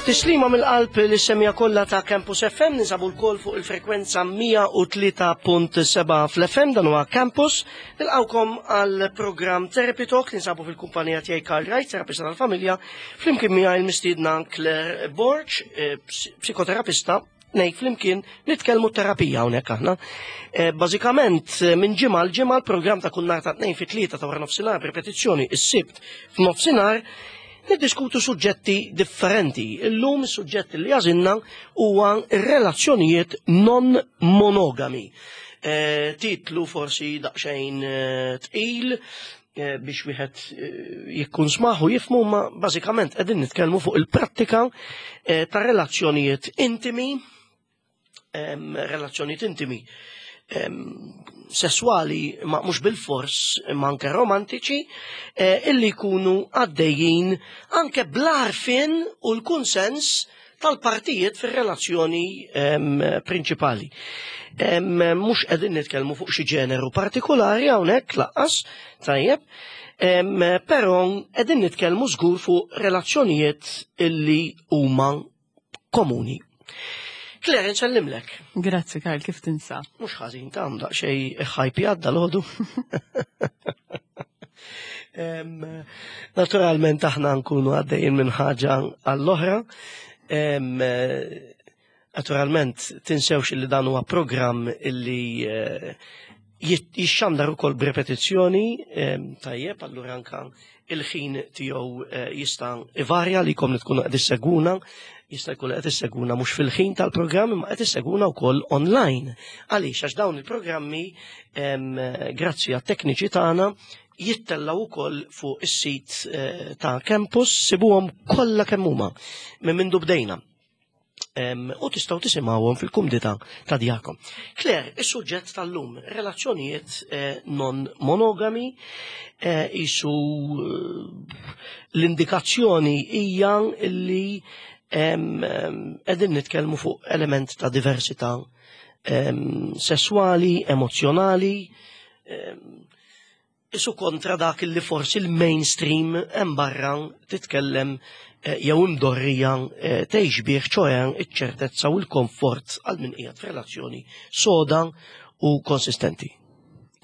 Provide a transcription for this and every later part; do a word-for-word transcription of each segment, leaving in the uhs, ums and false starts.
Tislima mill-qalb lis-semmiegħa kollha ta' Campus F M, ninsabu lkoll fuq il-frekwenza mija u tlieta punt sebgħa fl-F M, dan huwa Campus. Nilqawkom għal programm Therapy Talk, ninsabu fil-kumpanija tiegħi Karl Wright, terapista tal-familja, flimkien miegħi l-mistiedna Claire Borg, eh, psikoterapista, nej flimkien nitkellmu terapija hawnhekk aħna. Eh, bażikament eh, minn ġimgħa l ġimgħa l-programm ta' kull nhar ta' tnejn fit-tlieta ta' wara nofsinhar, repetizzjoni is-Sibt f'nofsinhar, niddiskutu suġġetti differenti. Illum is-suġġett li għażilna huwa relazzjonijiet non monogami. Eh, titlu forsi daqsxejn eh, tqil eh, biex wieħed jikkun smaħu jifmu, ma bażikament qegħdin nitkellmu fuq il-prattika ta' relazzjonijiet intimi, relazzjonijiet intimi sessuali, ma mhux bil-fors, ma anke romantiċi, illi jkunu għaddejjin anke bl-għarfien u l-kunsens tal-partijiet fir-relazzjoni prinċipali. Mhux qegħdin nitkellmu fuq xi ġeneru partikolari hawnhekk lanqas, tajjeb, però qegħdin nitkellmu żgur fuq relazzjonijiet illi huma komuni. Claire, nsellimlek. Grazzi, Karl, kif tinsab? Mhux ħażin, ta' daqsxejn ħajpi għadda l-ħodu. Naturalment aħna nkunu għaddejjin minn ħaġa għall-oħra. Naturalment tinsewx li dan huwa programm illi eh, jixxandar ukoll b'repetizzjoni, tajjeb, allura anka il-ħin tiegħu eh, jista' ivarja li kom li tkunu qed issegwuna, jista' jkun qed issegwuna mhux fil-ħin tal-programm imma qed issegwuna wkoll online. Għaliex? Għax dawn il-programmi, grazzi għat-tekniċi tagħna, jittellaw ukoll fuq is-sit eh, ta' Campus, sibuhom kollha kemm huma minn mindu bdejna. Em, U tistgħu tisimgħuhom fil-kumdità ta' djarkom. Claire, is-suġġett tal-lum, relazzjonijiet eh, non monogami, eh, isu eh, l-indikazzjoni hija li em, em, qegħdin nitkellmu fuq element ta' diversità em, sessuali, emozjonali, em, isu kontra dak li forsi l-mainstream hemm barra titkellem eh, jew imdorrija eh, tgħix bih, ċoè iċ-ċertezza u l-komfort għal min qiegħed f'relazzjoni soda u konsistenti.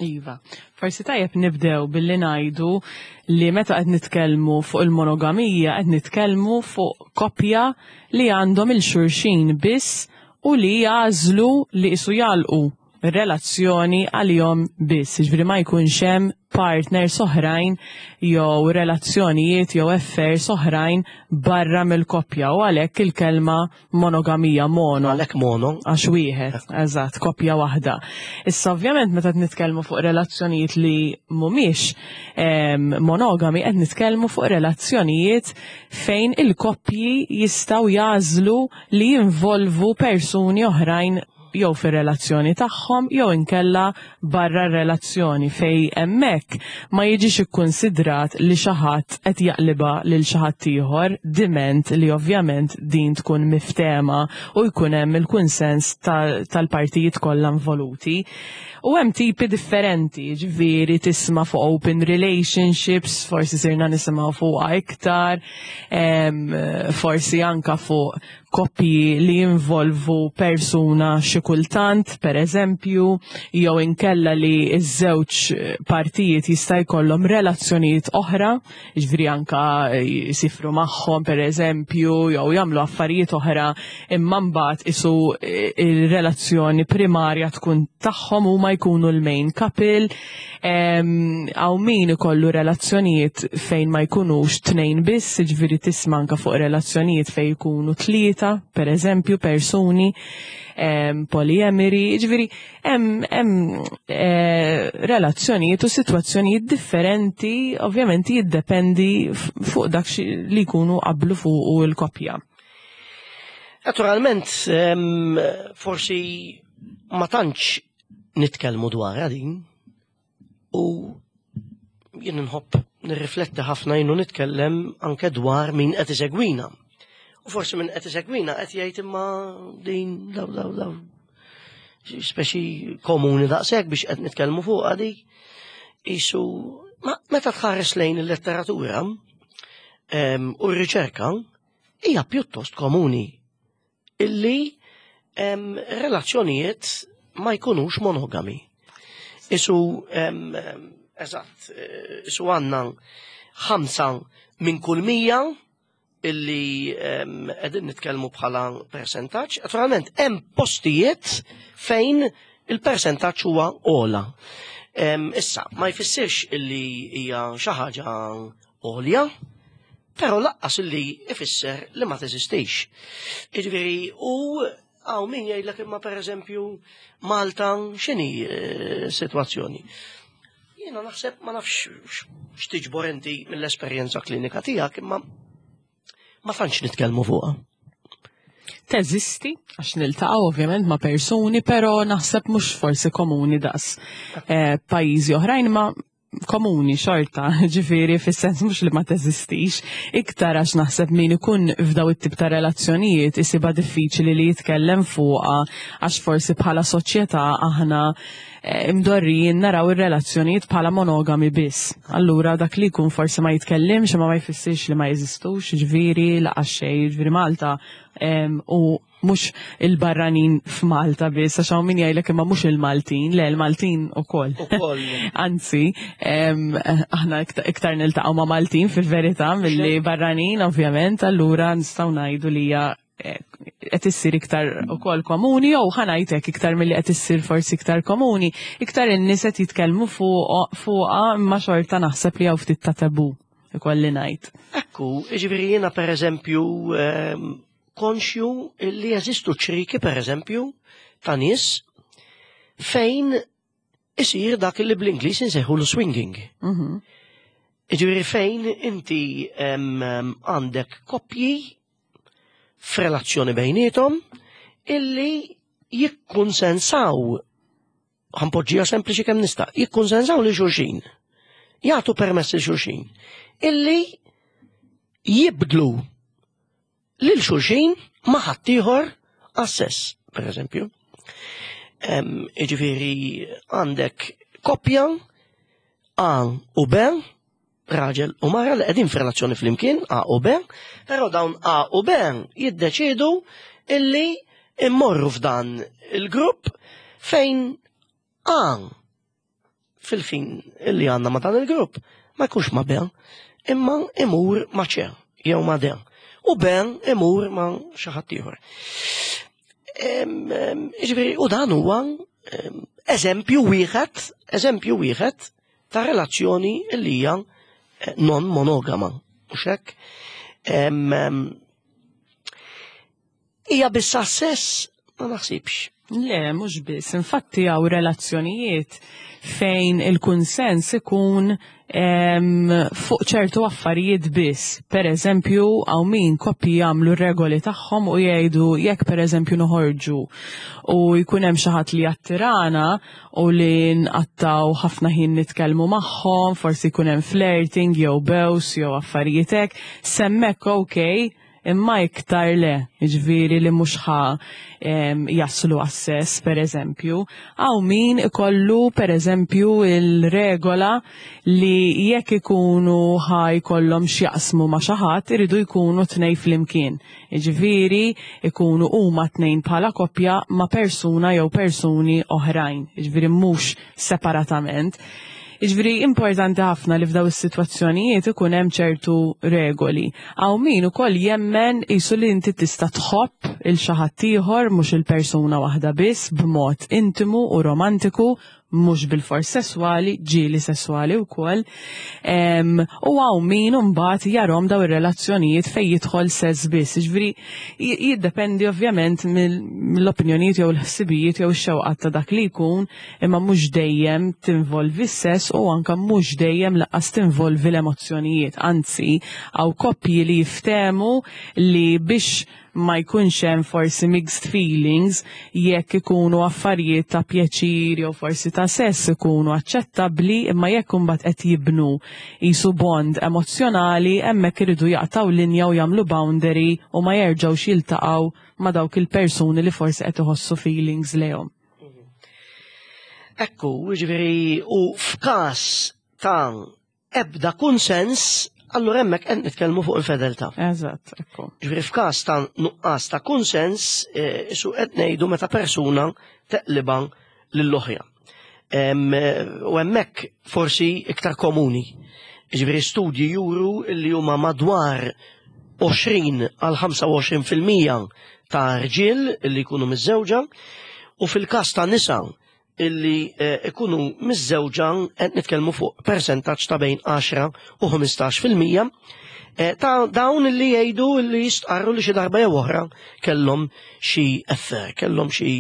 Iva, forsi tajjeb nibdew billi ngħidu li meta qed nitkellmu fuq il-monogamija qed nitkellmu fuq koppja li għandhom lil xulxin biss u li jagħżlu li isu jagħlqu relazzjoni għalihom biss, ġifieri ma jkunx hemm partners oħrajn jew relazzjonijiet jew affairs oħrajn barra mill-koppja, u għalhekk il-kelma monogamija, mono. Għalhekk mono. Għax wieħed, eżatt, koppja waħda. Issa ovvjament meta qed nitkellmu fuq relazzjonijiet li mhumiex em, monogami, qed nitkellmu fuq relazzjonijiet fejn il-koppji jistgħu jagħżlu li jinvolvu persuni oħrajn jew fir-relazzjoni tagħhom jew inkella barra r-relazzjoni, fej hemmhekk ma jiġix ikkunsidrat li xi ħadd qed jaqliba lil xi ħadd ieħor, diment li ovvjament din tkun miftema u jkun hemm il-kunsens tal-partijiet kollha involuti. U hemm tipi differenti, ġifieri tisma' fuq open relationships, forsi sirna nisimgħu fuqha iktar, em, forsi anka fuq koppji li jinvolvu persuna xi kultant, per eżempju, jew inkella li ż-żewġ partijiet jista' jkollhom relazzjonijiet oħra, ġifieri anka jisifru magħhom, per eżempju, jew jagħmlu affarijiet oħra, imma mbagħad isu il-relazzjoni primarja tkun tagħhom u ma jkunu l-main couple. Hawn min ikollu relazzjonijiet fejn ma jkunux tnejn biss, ġifieri tisma' anka fuq relazzjonijiet fejn jkunu tlieta, per eżempju, persuni, polyamory, ġifieri hemm eh, relazzjonijiet u sitwazzjonijiet differenti, ovvjament jiddependi fuq dak li jkunu qablu fuq il-koppja. Naturalment, forsi ma tantx nitkellmu dwar din u jien nħobb nirrifletti ħafna jien u nitkellem anke dwar min qed isegwina. U forsi min qed isegwina qed jgħid, imma din daw daw daw speċi komuni daqshekk biex qed nitkellmu fuq għadi. Isu ma meta tħares lejn il-letteratura u r-riċerka Hija pjuttost komuni illi em, relazzjonijiet ma jkunux monogami. Isu, em, em, eżatt, eh, isu għandna ħamsa minn kull mija illi em, qegħdin nitkellmu bħala percentaġġ. Naturalment, hemm postijiet fejn il-percentaġġ huwa ogħla. Em, Issa, ma jfissirx illi hija xi ħaġa għolja, però lanqas illi ifisser li ma teżistix. Jiġifieri, u hawn min jgħidlek, imma per eżempju Malta x'inhi eh, situazzjoni? Jiena naħseb, ma nafx x'tiġbor inti mill-esperjenza klinika tiegħek, imma ma tantx nitkellmu fuqha. Teżisti, għax niltaqgħu ovvjament ma' persuni, però naħseb mhux forsi komuni daqs eh, pajjiżi oħrajn, ma komuni xorta, ġifieri fis-sens mhux li ma teżistix, iktar għax naħseb min ikun f'daw it-tip ta' relazzjonijiet isibha diffiċli li jitkellem fuqha, għax forsi bħala soċjetà aħna eh, imdorrijin naraw ir-relazzjonijiet bħala monogami biss. Allura dak li jkun forsi ma jitkellimx, ma ma jfissirx li ma jeżistux, ġifieri lanqas xejn, ġifieri Malta em, u mhux il-barranin f'Malta biss, għax hawn min jgħidlek imma mhux il-Maltin, le, il-Maltin ukoll. Ukoll. Anzi, em, aħna iktar, iktar niltaqgħu ma' Maltin fil-verità milli barranin, ovvjament, allura nistgħu ngħidu li hija eh, qed issir iktar ukoll komuni, jew ħa ngħidlek, iktar milli qed issir forsi iktar komuni, iktar in-nies qed jitkellmu fuq fuqha, imma xorta naħseb li hawn ftit ta' tabu, ikolli ngħid. Ekku, ġifieri jiena per eżempju ehm, konxju li jeżistu ċriki, per eżempju, ta' nies fejn isir dak li bl-Ingliż insejħu l-swinging. Mhm. Ġifieri fejn inti em, em, għandek koppji f'relazzjoni bejniethom illi jikkonsensaw, ħa npoġġiha sempliċi kemm nista', jikkonsensaw lil xulxin. Jagħtu permess lil xulxin illi jibdlu lil xulxin ma' ħaddieħor għas-sess, per eżempju. Em, Ġifieri għandek koppja A u B, raġel u mara li qegħdin f'relazzjoni flimkien, A u B, però dawn A u B jiddeċidu illi immorru f'dan il-grupp fejn A fil-fin illi għandna ma' dan il-grupp ma jkunx ma' B, imma imur ma' C jew ma' D. U B imur ma' xi ħadd ieħor. Em, em, Ġifieri, u dan huwa em, eżempju wieħed, eżempju wieħed ta' relazzjoni li hija eh, non monogama. U hekk. Em, em, Hija biss sess? Ma naħsibx. Le, mhux biss. Infatti hawn relazzjonijiet fejn il-kunsens ikun em, fuq ċertu affarijiet biss. Per eżempju, hawn min koppji jagħmlu regoli tagħhom u jgħidu jekk per eżempju noħorġu u jkun hemm xi ħadd li jattirana u li nqattaw ħafna ħin nitkellmu magħhom, forsi jkun hemm flirting jew bews jew affarijiet hekk, s'hemmhekk okay, imma iktar le, ġifieri li mhux ħa em, jaslu għas-sess, per eżempju. Hawn min ikollu, per eżempju, il-regola li jekk ikunu ħa jkollhom x'jaqsmu ma' xi ħadd, iridu jkunu tnejn flimkien. Ġifieri ikunu huma tnejn bħala koppja ma' persuna jew persuni oħrajn, ġifieri mhux separatament. Ġifieri importanti ħafna li f'daw is-sitwazzjonijiet ikun hemm ċertu regoli. Hawn min ukoll jemmen qisu li inti tista' tħobb il xi ħadd ieħor, mhux il-persuna waħda biss, b'mod intimu u romantiku, mhux bil-fors sesswali, ġieli sesswali wkoll. Em, U hawn min mbagħad jarahom daw ir-relazzjonijiet fejn jidħol sess biss. Ġifieri j- jiddependi ovvjament mill- mill-opinjonijiet jew l-ħsibijiet jew ix-xewqat ta' dak li jkun, imma mhux dejjem tinvolvi s-sess u anka mhux dejjem lanqas tinvolvi l-emozzjonijiet. Anzi, hawn koppji li jiftehmu li biex ma jkunx hemm forsi mixed feelings, jekk ikunu affarijiet ta' pjaċir jew forsi ta' sess ikunu aċċettabbli, imma jekk imbagħad qed jibnu qisu bond emozzjonali, hemmhekk iridu jaqtaw linja u jagħmlu boundary u ma jerġgħux jiltaqgħu ma' dawk il-persuni li forsi qed iħossu feelings lejhom. Ekku, ġifieri, u f'każ ta' ebda konsens, Allura hemmhekk qed nitkellmu fuq infedeltà. Eżatt, ekku. Ġifieri f'każ ta' nuqqas ta' kunsens, eh, su qed ngħidu meta persuna teqliba lill-oħra. Em, eh, U hemmhekk forsi iktar komuni. Ġifieri studji juru li huma madwar għoxrin għal ħamsa u għoxrin fil-mija ta' rġiel li jkunu miżżewġa u fil-każ ta' nisa illi eh, ikunu miżżewġa qed nitkellmu fuq persentaġġ ta' bejn għaxra u ħmistax fil-mija eh, ta' dawn li jgħidu li jistqarru li xi darba jew oħra kellhom xi affair, kellhom xi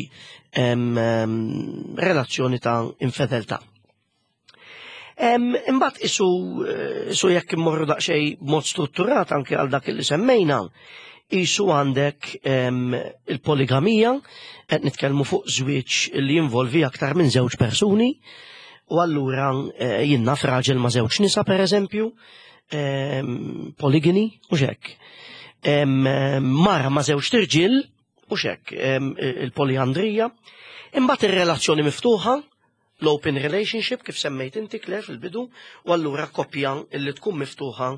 em, em, relazzjoni ta' infedeltà. Em, Imbagħad isu eh, isu jekk immorru daqsxejn b'mod strutturat anke għal dak li semmejna, isu għandek em, il-poligamija, qed nitkellmu fuq żwieġ li jinvolvi aktar minn żewġ persuni, u allura eh, jien naf raġel ma' żewġ nisa per eżempju, em, polygyny, u hekk. Em, Mara ma' żewġ tirġiel, u hekk, em, il-poliandrija. Imbagħad ir-relazzjoni miftuħa, l-open relationship kif semmejt inti, Claire, fil-bidu, u allura koppja illi tkun miftuħa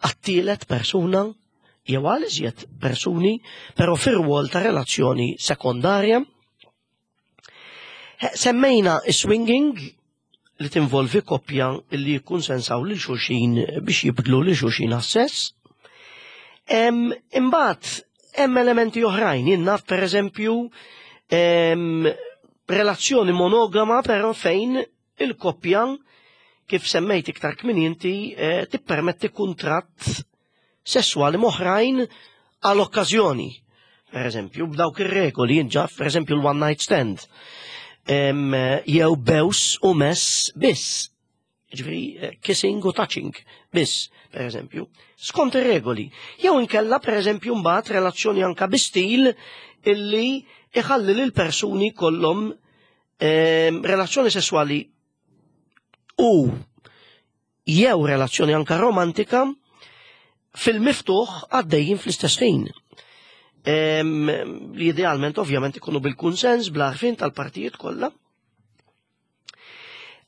għat-tielet persuna jew għal iżjed persuni, però fir-rwol ta' relazzjoni sekondarja. Eh, Semmejna swinging li tinvolvi koppja illi jikkonsensaw lil xulxin biex jibdlu lil xulxin għas-sess. Em, Imbagħad hemm elementi oħrajn, jien naf per eżempju em, relazzjoni monogama però fejn il-koppja, kif semmejt iktar kmieni inti, eh, tippermetti kuntratt sessuali m'oħrajn għal okkażjoni. Per eżempju, b'dawk ir-regoli jien naf, per eżempju, l-one night stand. Em, jew bews u mess biss. Ġifieri, eh, kissing u touching biss, per eżempju. Skont ir-regoli. Jew inkella, per eżempju, mbagħad relazzjoni anka bi stil illi iħalli lil persuni kollhom em, relazzjoni sessuali u jew relazzjoni anka romantika fil-miftuħ għaddejjin fl-istess ħin. Em, Li idealment ovvjament ikunu bil-kunsens, bl-għarfien tal-partijiet kollha.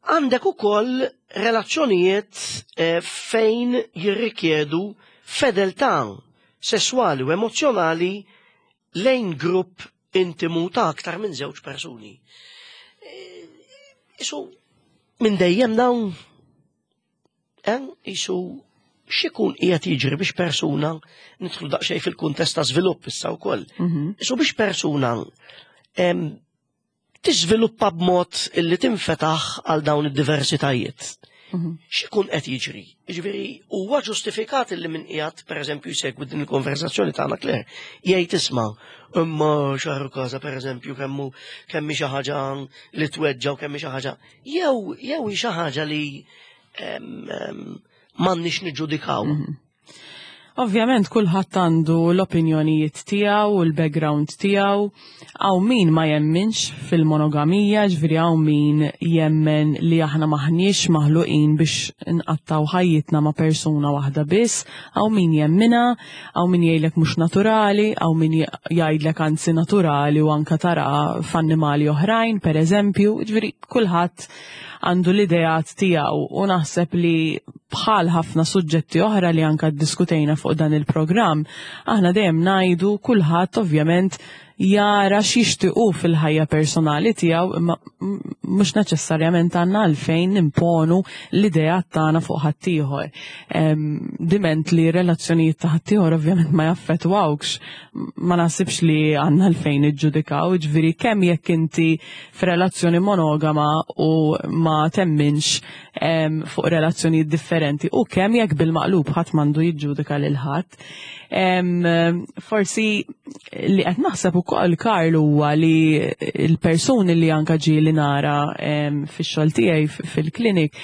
Għandek ukoll relazzjonijiet eh, fejn jirrikjedu fedeltà sessuali u emozjonali lejn grupp intimu ta' aktar minn żewġ persuni. Eh, Isu minn dejjem dawn eh, isu x'ikun qiegħed jiġri biex persuna, nidħlu daqsxejn fil-kuntest ta' żvilupp issa wkoll. Mhm. Isu biex persuna em, tiżviluppa b'mod illi tinfetaħ għal dawn id-diversitajiet. Mhm. X'ikun qed jiġri? Jiġifieri huwa ġustifikat illi min qiegħed pereżempju jsegwi din il-konversazzjoni tagħna, Claire, jgħid, "Isma', imma x'għarukaża pereżempju kemmu kemm hi xi ħaġa li tweġġa u kemm hi xi ħaġa jew jew hi xi ħaġa li em, em, m'għandniex niġġudikaw." Mhm. Ovvjament kulħadd għandu l-opinjonijiet tiegħu u l-background tiegħu. Hawn min ma jemminx fil-monogamija, ġifieri hawn min jemmen li aħna maħniex maħluqin biex nqattaw ħajjitna ma' persuna waħda biss, hawn min jemminha, hawn min jgħidlek mhux naturali, hawn min jgħidlek anzi naturali u anka tara f'annimali oħrajn, per eżempju, ġifieri kulħadd għandu l-ideat tiegħu u naħseb li bħal ħafna suġġetti oħra li anka ddiskutejna fuq dan il-programm, aħna dejjem ngħidu kulħadd ovvjament jara x'jixtiequ fil-ħajja personali tiegħu, imma mhux neċessarjament għandna għalfejn nimponu l-ideat tagħna fuq ħaddieħor. Diment li relazzjonijiet ta' ħaddieħor ovvjament ma jaffettwawkx, ma naħsibx li għandna għalfejn iġġudikaw, ġifieri kemm jekk inti f'relazzjoni monogama u ma temminx fuq relazzjonijiet differenti u kemm jekk bil-maqlub, ħadd m'għandu jiġġudika lil ħadd. Forsi li qed naħseb ukoll, Karl, huwa li l-persuni li anka ġieli nara fix-xogħol tiegħi fil-klinik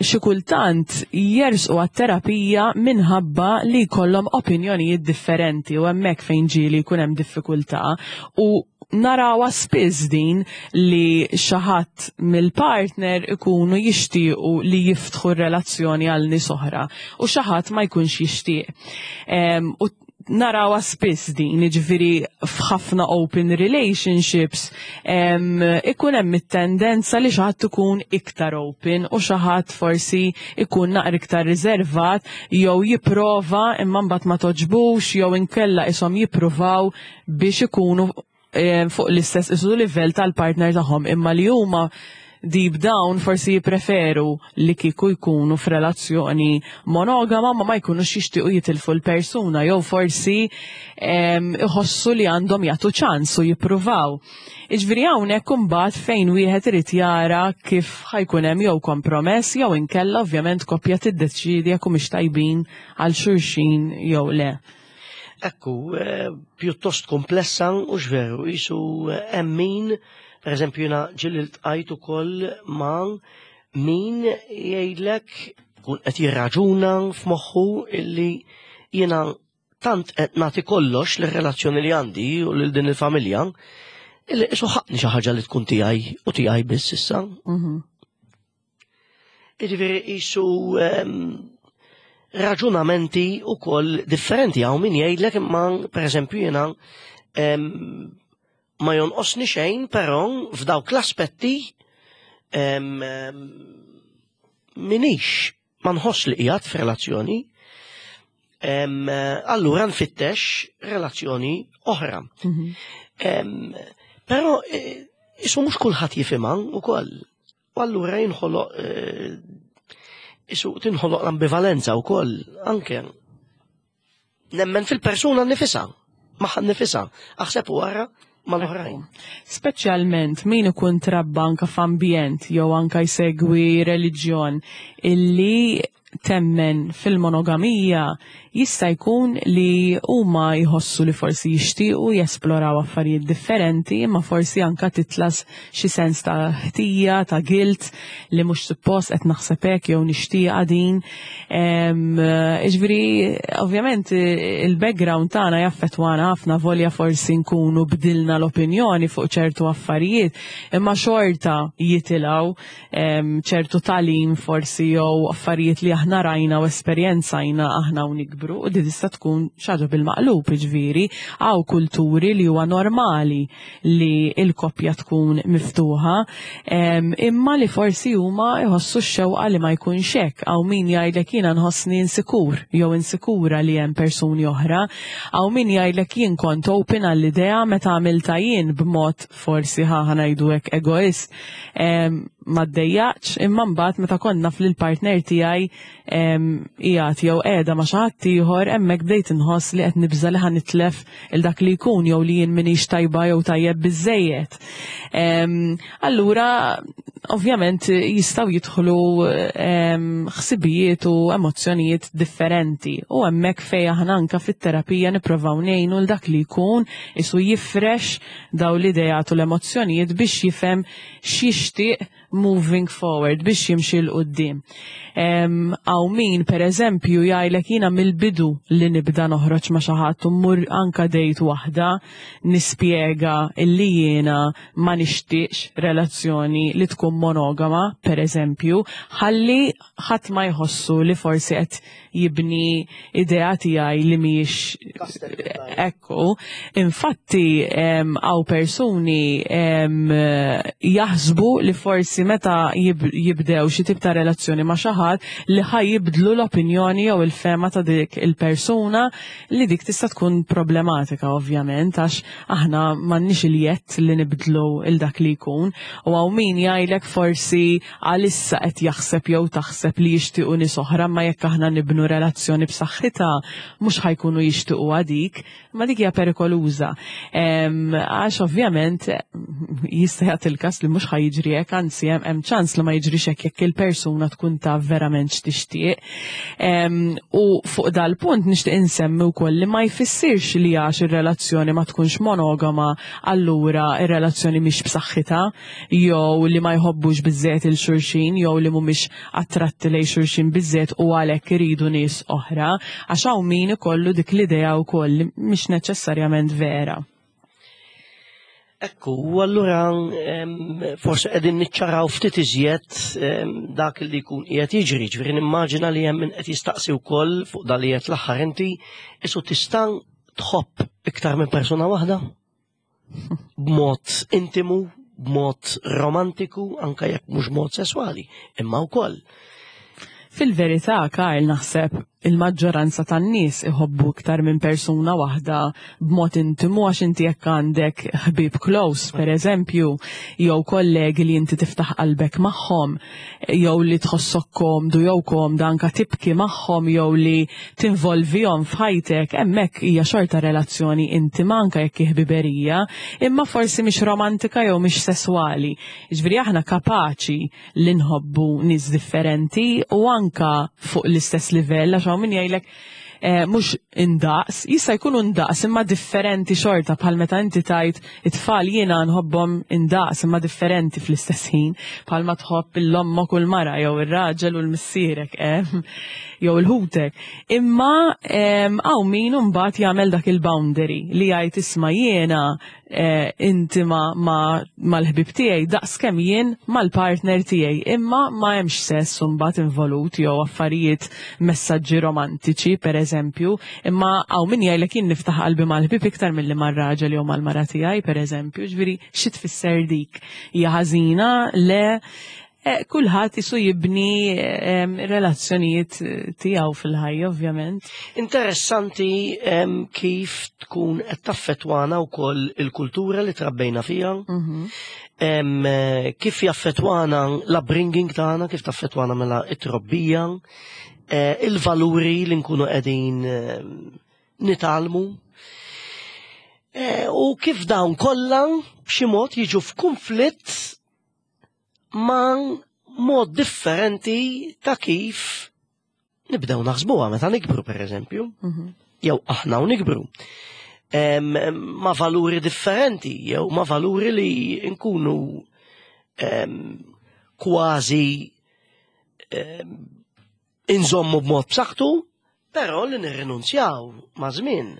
xi kultant jersqu għat-terapija minħabba li jkollhom opinjonijiet differenti u hemmhekk fejn ġieli jkun hemm diffikultà u narawha spiss din li xi ħadd mill-partner ikunu jixtiequ li jiftħu r-relazzjoni għal nies oħra u xi ħadd ma jkunx jixtieq. U Narawha spiss din, jiġifieri f'ħafna open relationships em, ikun hemm it-tendenza li xi ħadd ikun iktar open u xi ħadd forsi ikun naqra iktar riservat jew jipprova imma mbagħad ma togħġbux jew inkella ishom jippruvaw biex ikunu eh, fuq l-istess isu livell tal-partner tagħhom, imma li huma deep down forsi jipreferu li kieku jkunu f'relazzjoni monogama, ma ma jkunux jixtiequ jitilfu l-persuna jew forsi em, iħossu li għandhom jagħtu ċans u jippruvaw. Iġifieri hawnhekk imbagħad fejn wieħed irid jara kif ħa jkun hemm jew kompromess jew inkella ovvjament koppja tiddeċidi jekk humiex tajbin għal xulxin jew le. Ekku, eh, pjuttost komplessa u veru, jisu eh, hemm min, per eżempju, jiena ġieli ltqajt ukoll ma' min jgħidlek kun qed jirraġuna f'moħħu illi jiena tant qed nagħti kollox lir-relazzjoni li għandi u lil din il-familja illi isu ħaqqni xi ħaġa li tkun tiegħi u tiegħi biss issa. Mhm. Jiġifieri jisu em, raġunamenti u koll differenti. Hawn min jgħidlek imma, per eżempju, jiena em, ma jonqosni xejn, però f'dawk l-aspetti em, em, minix ma nħoss li qiegħed f'relazzjoni, em, allura nfittex relazzjoni oħra. Mhm. Em, Però eh, isu mhux kulħadd jifhimha ukoll. U allura jinħoloq eh, isu tinħoloq l-ambivalenza wkoll anke. Nemmen fil-persuna nifisha, magħha nifisha, aħseb wara mal-oħrajn. Speċjalment min ikun trabba anka f'ambjent jew anka jsegwi reliġjon illi temmen fil-monogamija, jista' jkun li huma jħossu li forsi jixtiequ jesploraw affarijiet differenti, imma forsi anka titla' xi sens ta' ħtija, ta' guilt li mhux suppost qed naħseb hekk jew nixtieqa din. Ġifieri, ovvjament il-background tagħna jaffettwana ħafna, volja forsi nkunu bdilna l-opinjoni fuq ċertu affarijiet, imma xorta jitilgħu ċertu tagħlim forsi jew affarijiet li aħna rajna u esperjenzajna aħna u nikbru, u di tista' tkun xi ħaġa bil-maqlub, ġifieri hawn kulturi li huwa normali li l-koppja tkun miftuħa, imma li forsi huma jħossu x-xewqa li ma jkunx hekk. Hawn min jgħidlek jiena nħossni insikur jew insikura li hemm persuni oħra, hawn min jgħidlek jien kont open għall-idea, meta għamilta jien b'mod forsi ħa ngħidu hekk egoist, ma ddejjaqx, imma mbagħad meta konna fil-partner tiegħi qiegħed jew qiegħda ma' xi ħadd ieħor, hemmhekk bdejt inħoss li qed nibża li ħa nitlef il dak li jkun jew li jien m'iniex tajba jew tajjeb biżejjed. Allura ovvjament jistgħu jidħlu ħsibijiet u emozzjonijiet differenti u hemmhekk fejn aħna anka fit-terapija nippruvaw ngħinu l dak li jkun isu jifrex daw l-idejat u l-emozzjonijiet biex jifhem x'jixtieq moving forward, biex jimxi 'l quddiem. Hawn min, per eżempju, jgħidlek jiena mill-bidu li nibda noħroġ ma' xi ħadd u mmur anka date waħda nispjega illi jiena ma nixtieqx relazzjoni li tkun monogama, per eżempju, ħalli ħadd ma jħossu li forsi qed jibni idea tiegħi li mhijiex ekku. Infatti hawn persuni jaħsbu li forsi meta jibdew xi tip ta' relazzjoni ma' xi ħadd li ħa jibdlu l-opinjoni jew il-fehma ta' dik il-persuna, li dik tista' tkun problematika ovvjament, għax aħna m'għandniex il-jedd li nibdlu il dak li jkun. U hawn min jgħidlek forsi għalissa qed jaħseb jew taħseb li jixtiequ nies oħra, ma jekk aħna nibnu relazzjoni b'saħħitha mhux ħa jkunu jixtiequ għadik, ma dik hija perikoluża. Għax ovvjament jista' jagħti il-każ li mhux ħa jiġri hekk, anzi hemm ċans li ma jiġrix hekk jekk il-persuna tkun taf verament x'tixtieq. U fuq dal-punt nixtieq insemmi wkoll li ma jfissirx li għax ir-relazzjoni ma tkunx monogama allura ir-relazzjoni mhix b'saħħitha jew li ma jħobbux biżżejjed il xulxin jew li mhumiex attratti lejn xulxin biżżejjed u għalhekk iridu nies oħra, għax hawn min ikollu dik l-idea wkoll li mhix neċessarjament vera. Ekku, u allura forsi qegħdin niċċaraw ftit iżjed dak li jkun qiegħed jiġri, ġifieri nimmaġina li hemm min qed jistaqsi wkoll fuq dan li qed l-aħħar inti, isu tista' Tħobb iktar minn persuna waħda? B'mod intimu, b'mod romantiku, anka jekk mhux mod sesswali, imma wkoll. Fil-verità, Karl, naħseb il-maġġoranza tan-nies iħobbu iktar minn persuna waħda b'mod intimu, għax inti jekk għandek ħbib close, per eżempju, jew kollegi li inti tiftaħ qalbek magħhom, jew li tħossok komdu jew komda anka tibki magħhom jew li tinvolvihom f'ħajtek, hemmhekk hija xorta relazzjoni intima anka jekk hi ħbiberija, imma forsi mhix romantika jew mhix sesswali. Jiġifieri aħna kapaċi li nħobbu nies differenti u anka fuq l-istess livell, għax hawn min jgħidlek eh, mhux indaqs, jista' jkun indaqs imma differenti xorta, bħal meta inti tajt it-tfal jiena nħobbhom indaqs imma differenti fl-istess ħin, bħal ma tħobb l-ommok u l-mara jew ir-raġel u l-missierek eh, jew il-ħutek. Imma hawn min imbagħad jagħmel dak il-boundary li jgħid, "Isma', jiena eh, intima mal-ħbib tiegħi daqs kemm jien mal-partner tiegħi, imma ma hemmx sess mbagħad involut jew affarijiet, messaġġi romantiċi, per eżempju, imma hawn min jgħidlek jien niftaħ qalbi mal-ħbib iktar milli mar-raġel jew mal-mara tiegħi, per eżempju. Ġifieri xi tfisser dik? Hija ħażina? Le, eh, kulħadd isu jibni em, relazzjonijiet tiegħu fil-ħajja, ovvjament. Interessanti em, kif tkun qed taffettwana wkoll il-kultura li trabbejna fiha, Mhm. em, eh, kif jaffettwana l-upbringing tagħna, kif taffettwana mela it-trobbija, eh, il-valuri li nkunu qegħdin em, nitgħallmu. Eh, U kif dawn kollha b'xi mod jiġu f'kunflitt ma' mod differenti ta' kif nibdew naħsbuha meta nikbru, per eżempju, Mhm. jew aħna u nikbru. Em, ma' valuri differenti, jew ma' valuri li nkunu em, kważi em, inżommu b'mod b'saħħtu, però li nirrinunzjaw ma' żmien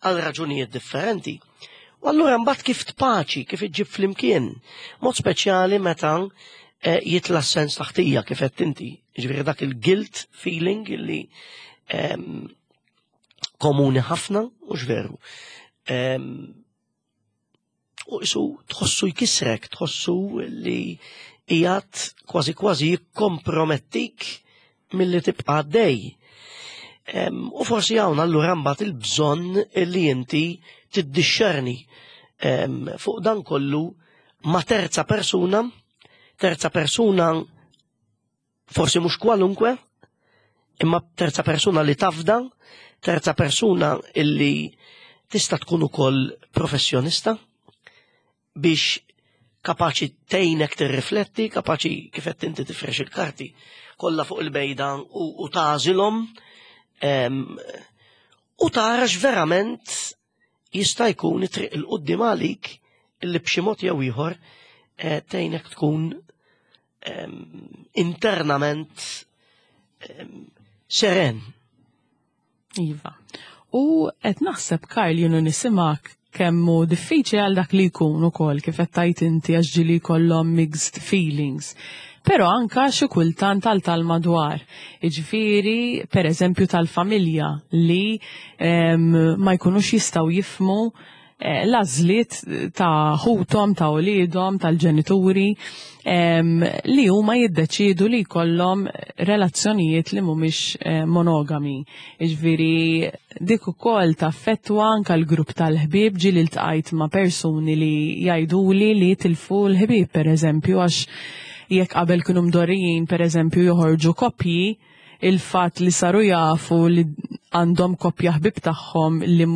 għal raġunijiet differenti. U allura mbagħad kif tpaċi, kif iġġib flimkien, mod speċjali meta eh, jitla sens ta' ħtija, kif qed inti, ġifieri dak il-guilt feeling li em, komuni ħafna, u veru. Em, U isu tħossu jkisrek, tħossu li qiegħed kważi kważi jikkompromettik milli tibqa' għaddej. Em, U forsi hawn allura mbagħad il-bżonn li inti tiddixxerni em, fuq dan kollu ma' terza persuna, terza persuna forsi mhux kwalunkwe, imma terza persuna li tafda, terza persuna illi tista' tkun ukoll professjonista biex kapaċi tgħinek tirrifletti, kapaċi, kif qed inti, tifrex il-karti kollha fuq il-mejda u, u tagħżilhom em, u tarax verament jista' jkun it-triq 'il quddiem għalik illi b'xi mod jew ieħor eh, tgħinek tkun em, internament em, seren. Iva. U qed naħseb, Karl, jien u nismgħek, kemm hu diffiċli għal dak li jkun ukoll, kif qed tajt inti, għax ġieli jkollhom mixed feelings. Però anka xi kultant tal tal-madwar. Jiġifieri, per eżempju, tal-familja li em, ma jkunux jistgħu jifhmu eh, l-għażliet ta' ħuthom, ta' uliedhom, tal-ġenituri, em, li huma jiddeċidu li jkollhom relazzjonijiet li mhumiex eh, monogami. Jiġifieri dik ukoll taffettwa anka l-grupp tal-ħbieb. Ġieli ltqajt ma' persuni li jgħiduli li tilfu l-ħbieb, per eżempju, għax jekk qabel kienu mdorrijin, per eżempju, joħorġu koppji, il-fatt li saru jafu li għandhom koppja ħbib tagħhom li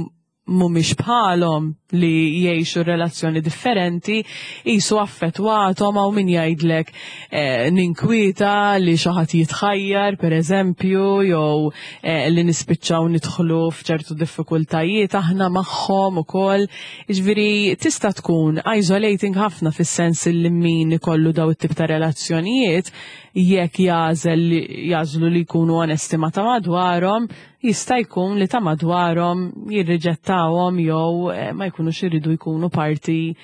mhumiex bħalhom, li jgħixu relazzjoni differenti, jisu affettwathom. Hawn min jgħidlek eh, ninkwieta li xi ħadd jitħajjar, per eżempju, jew eh, li nispiċċaw nidħlu f'ċertu diffikultajiet aħna magħhom ukoll. Jiġifieri tista' tkun isolating ħafna, fis-sens li min ikollu daw it-tip ta' relazzjonijiet, jekk jagħżel jagħżlu li jkunu onesti ma' ta' madwarhom, jista' jkun li ta' madwarhom jirriġettawhom jew eh, ma jkunux iridu jkunu parti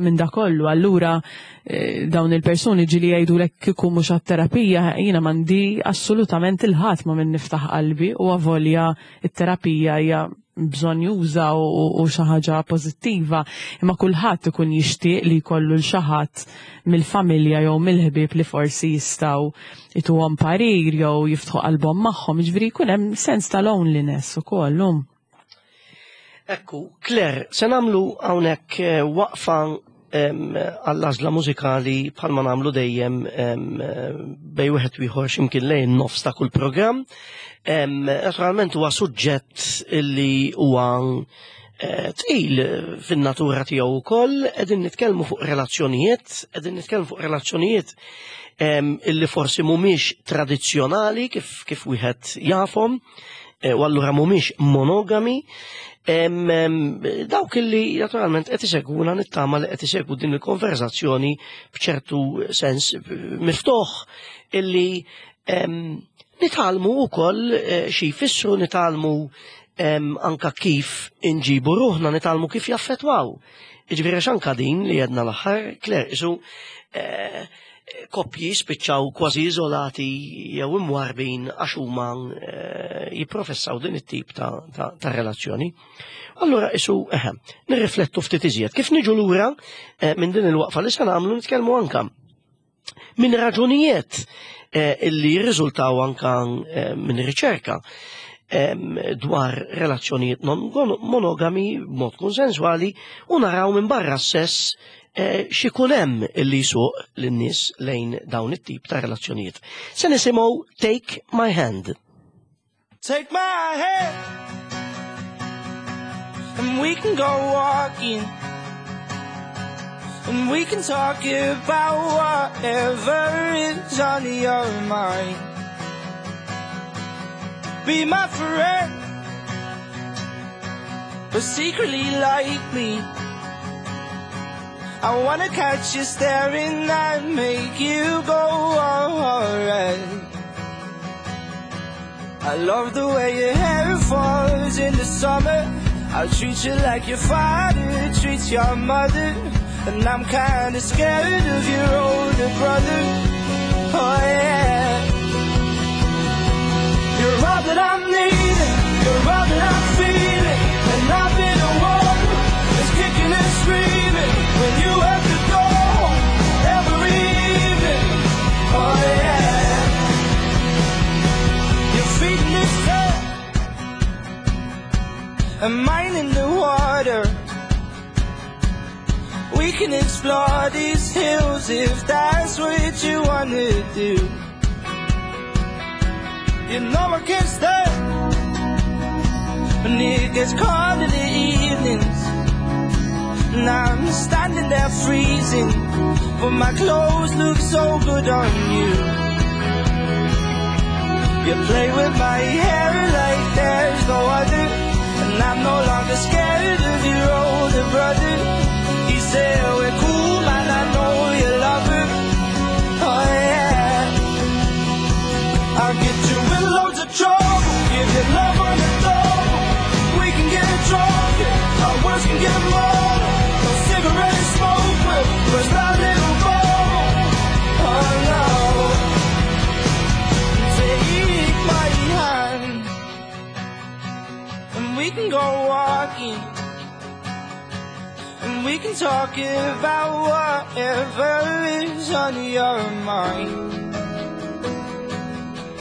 minn da kollu. Allura eh, dawn il-persuni ġieli jgħidulek, "Kieku mhux għat-terapija jiena m'għandi assolutament 'il ħadd ma' min niftaħ qalbi", u avolja it-terapija hija bżonnjuża u, u xi ħaġa pożittiva, imma kulħadd ikun jixtieq li jkollu l xi ħadd mill-familja jew mill-ħbieb li forsi jistgħu ituhom parir jew jiftħu qalbhom magħhom, jiġifieri jkun hemm sens ta' loneliness ukoll. um. Ekku, Claire, se nagħmlu hawnhekk eh, waqfa em, għall-għażla mużikali bħalma nagħmlu dejjem em, eh, bejn wieħed u ieħor x'imkien lejn nofs ta' kull programm. Em, Naturalment huwa suġġett illi huwa eh, tqil fin-natura tiegħu wkoll, qegħdin nitkellmu fuq relazzjonijiet, qegħdin nitkellmu fuq relazzjonijiet em, illi forsi mhumiex tradizzjonali kif kif wieħed jafhom, eh, u allura mhumiex monogami. Em, em, dawk illi naturalment qed isegwuna nittama li qed isegwu din il-konverzazzjoni b'ċertu sens miftuħ illi em, nitgħallmu wkoll eh, xi jfissru nitgħallmu em, anka kif inġibu ruħna, nitgħallmu kif jaffetwaw. Jiġifieri għax anka din li għedna l-aħħar, Claire, isu eh, koppji spiċċaw kważi iżolati jew imwarbin għax huma eh, jipprofessaw din it-tip ta', ta, ta' relazzjoni. Allura isu eħe, nirriflettu ftit iżjed. Kif niġu lura eh, minn din il-waqfa li se nagħmlu nitkellmu anka minn raġunijiet eh, illi jirriżultaw anka eh, minn riċerka em, dwar relazzjonijiet non monogami b'mod konsensuali u naraw minn barra s-sess eh, x'ikun hemm illi jsuq lin-nies lejn dawn it-tip ta' relazzjonijiet. Se nisimgħu Take My Hand. Take my hand and we can go walking and we can talk about whatever is on your mind. Be my friend, but secretly like me. I wanna catch you staring and make you go alright. I love the way your hair falls in the summer. I'll treat you like your father treats your mother. And I'm kinda scared of your older brother. Oh yeah. You're all that I'm needing, you're all that I'm feeling. And I've been the one that's kicking and screaming when you have to go every evening. Oh yeah. Your feet in the sand and mine in the water. We can explore these hills if that's what you wanna do. You know I can't stay when it gets cold in the evenings. And I'm standing there freezing, but my clothes look so good on you. You play with my hair like there's no other, and I'm no longer scared of your older brother. He said we're cool, man, I know you love her. Oh yeah. I'll get you in loads of trouble, give you love on the double. We can get drunk, our words can get muddled. No cigarette smoke will burst that little bubble. Oh no. Take my hand, and we can go walking, and we can talk about whatever is on your mind.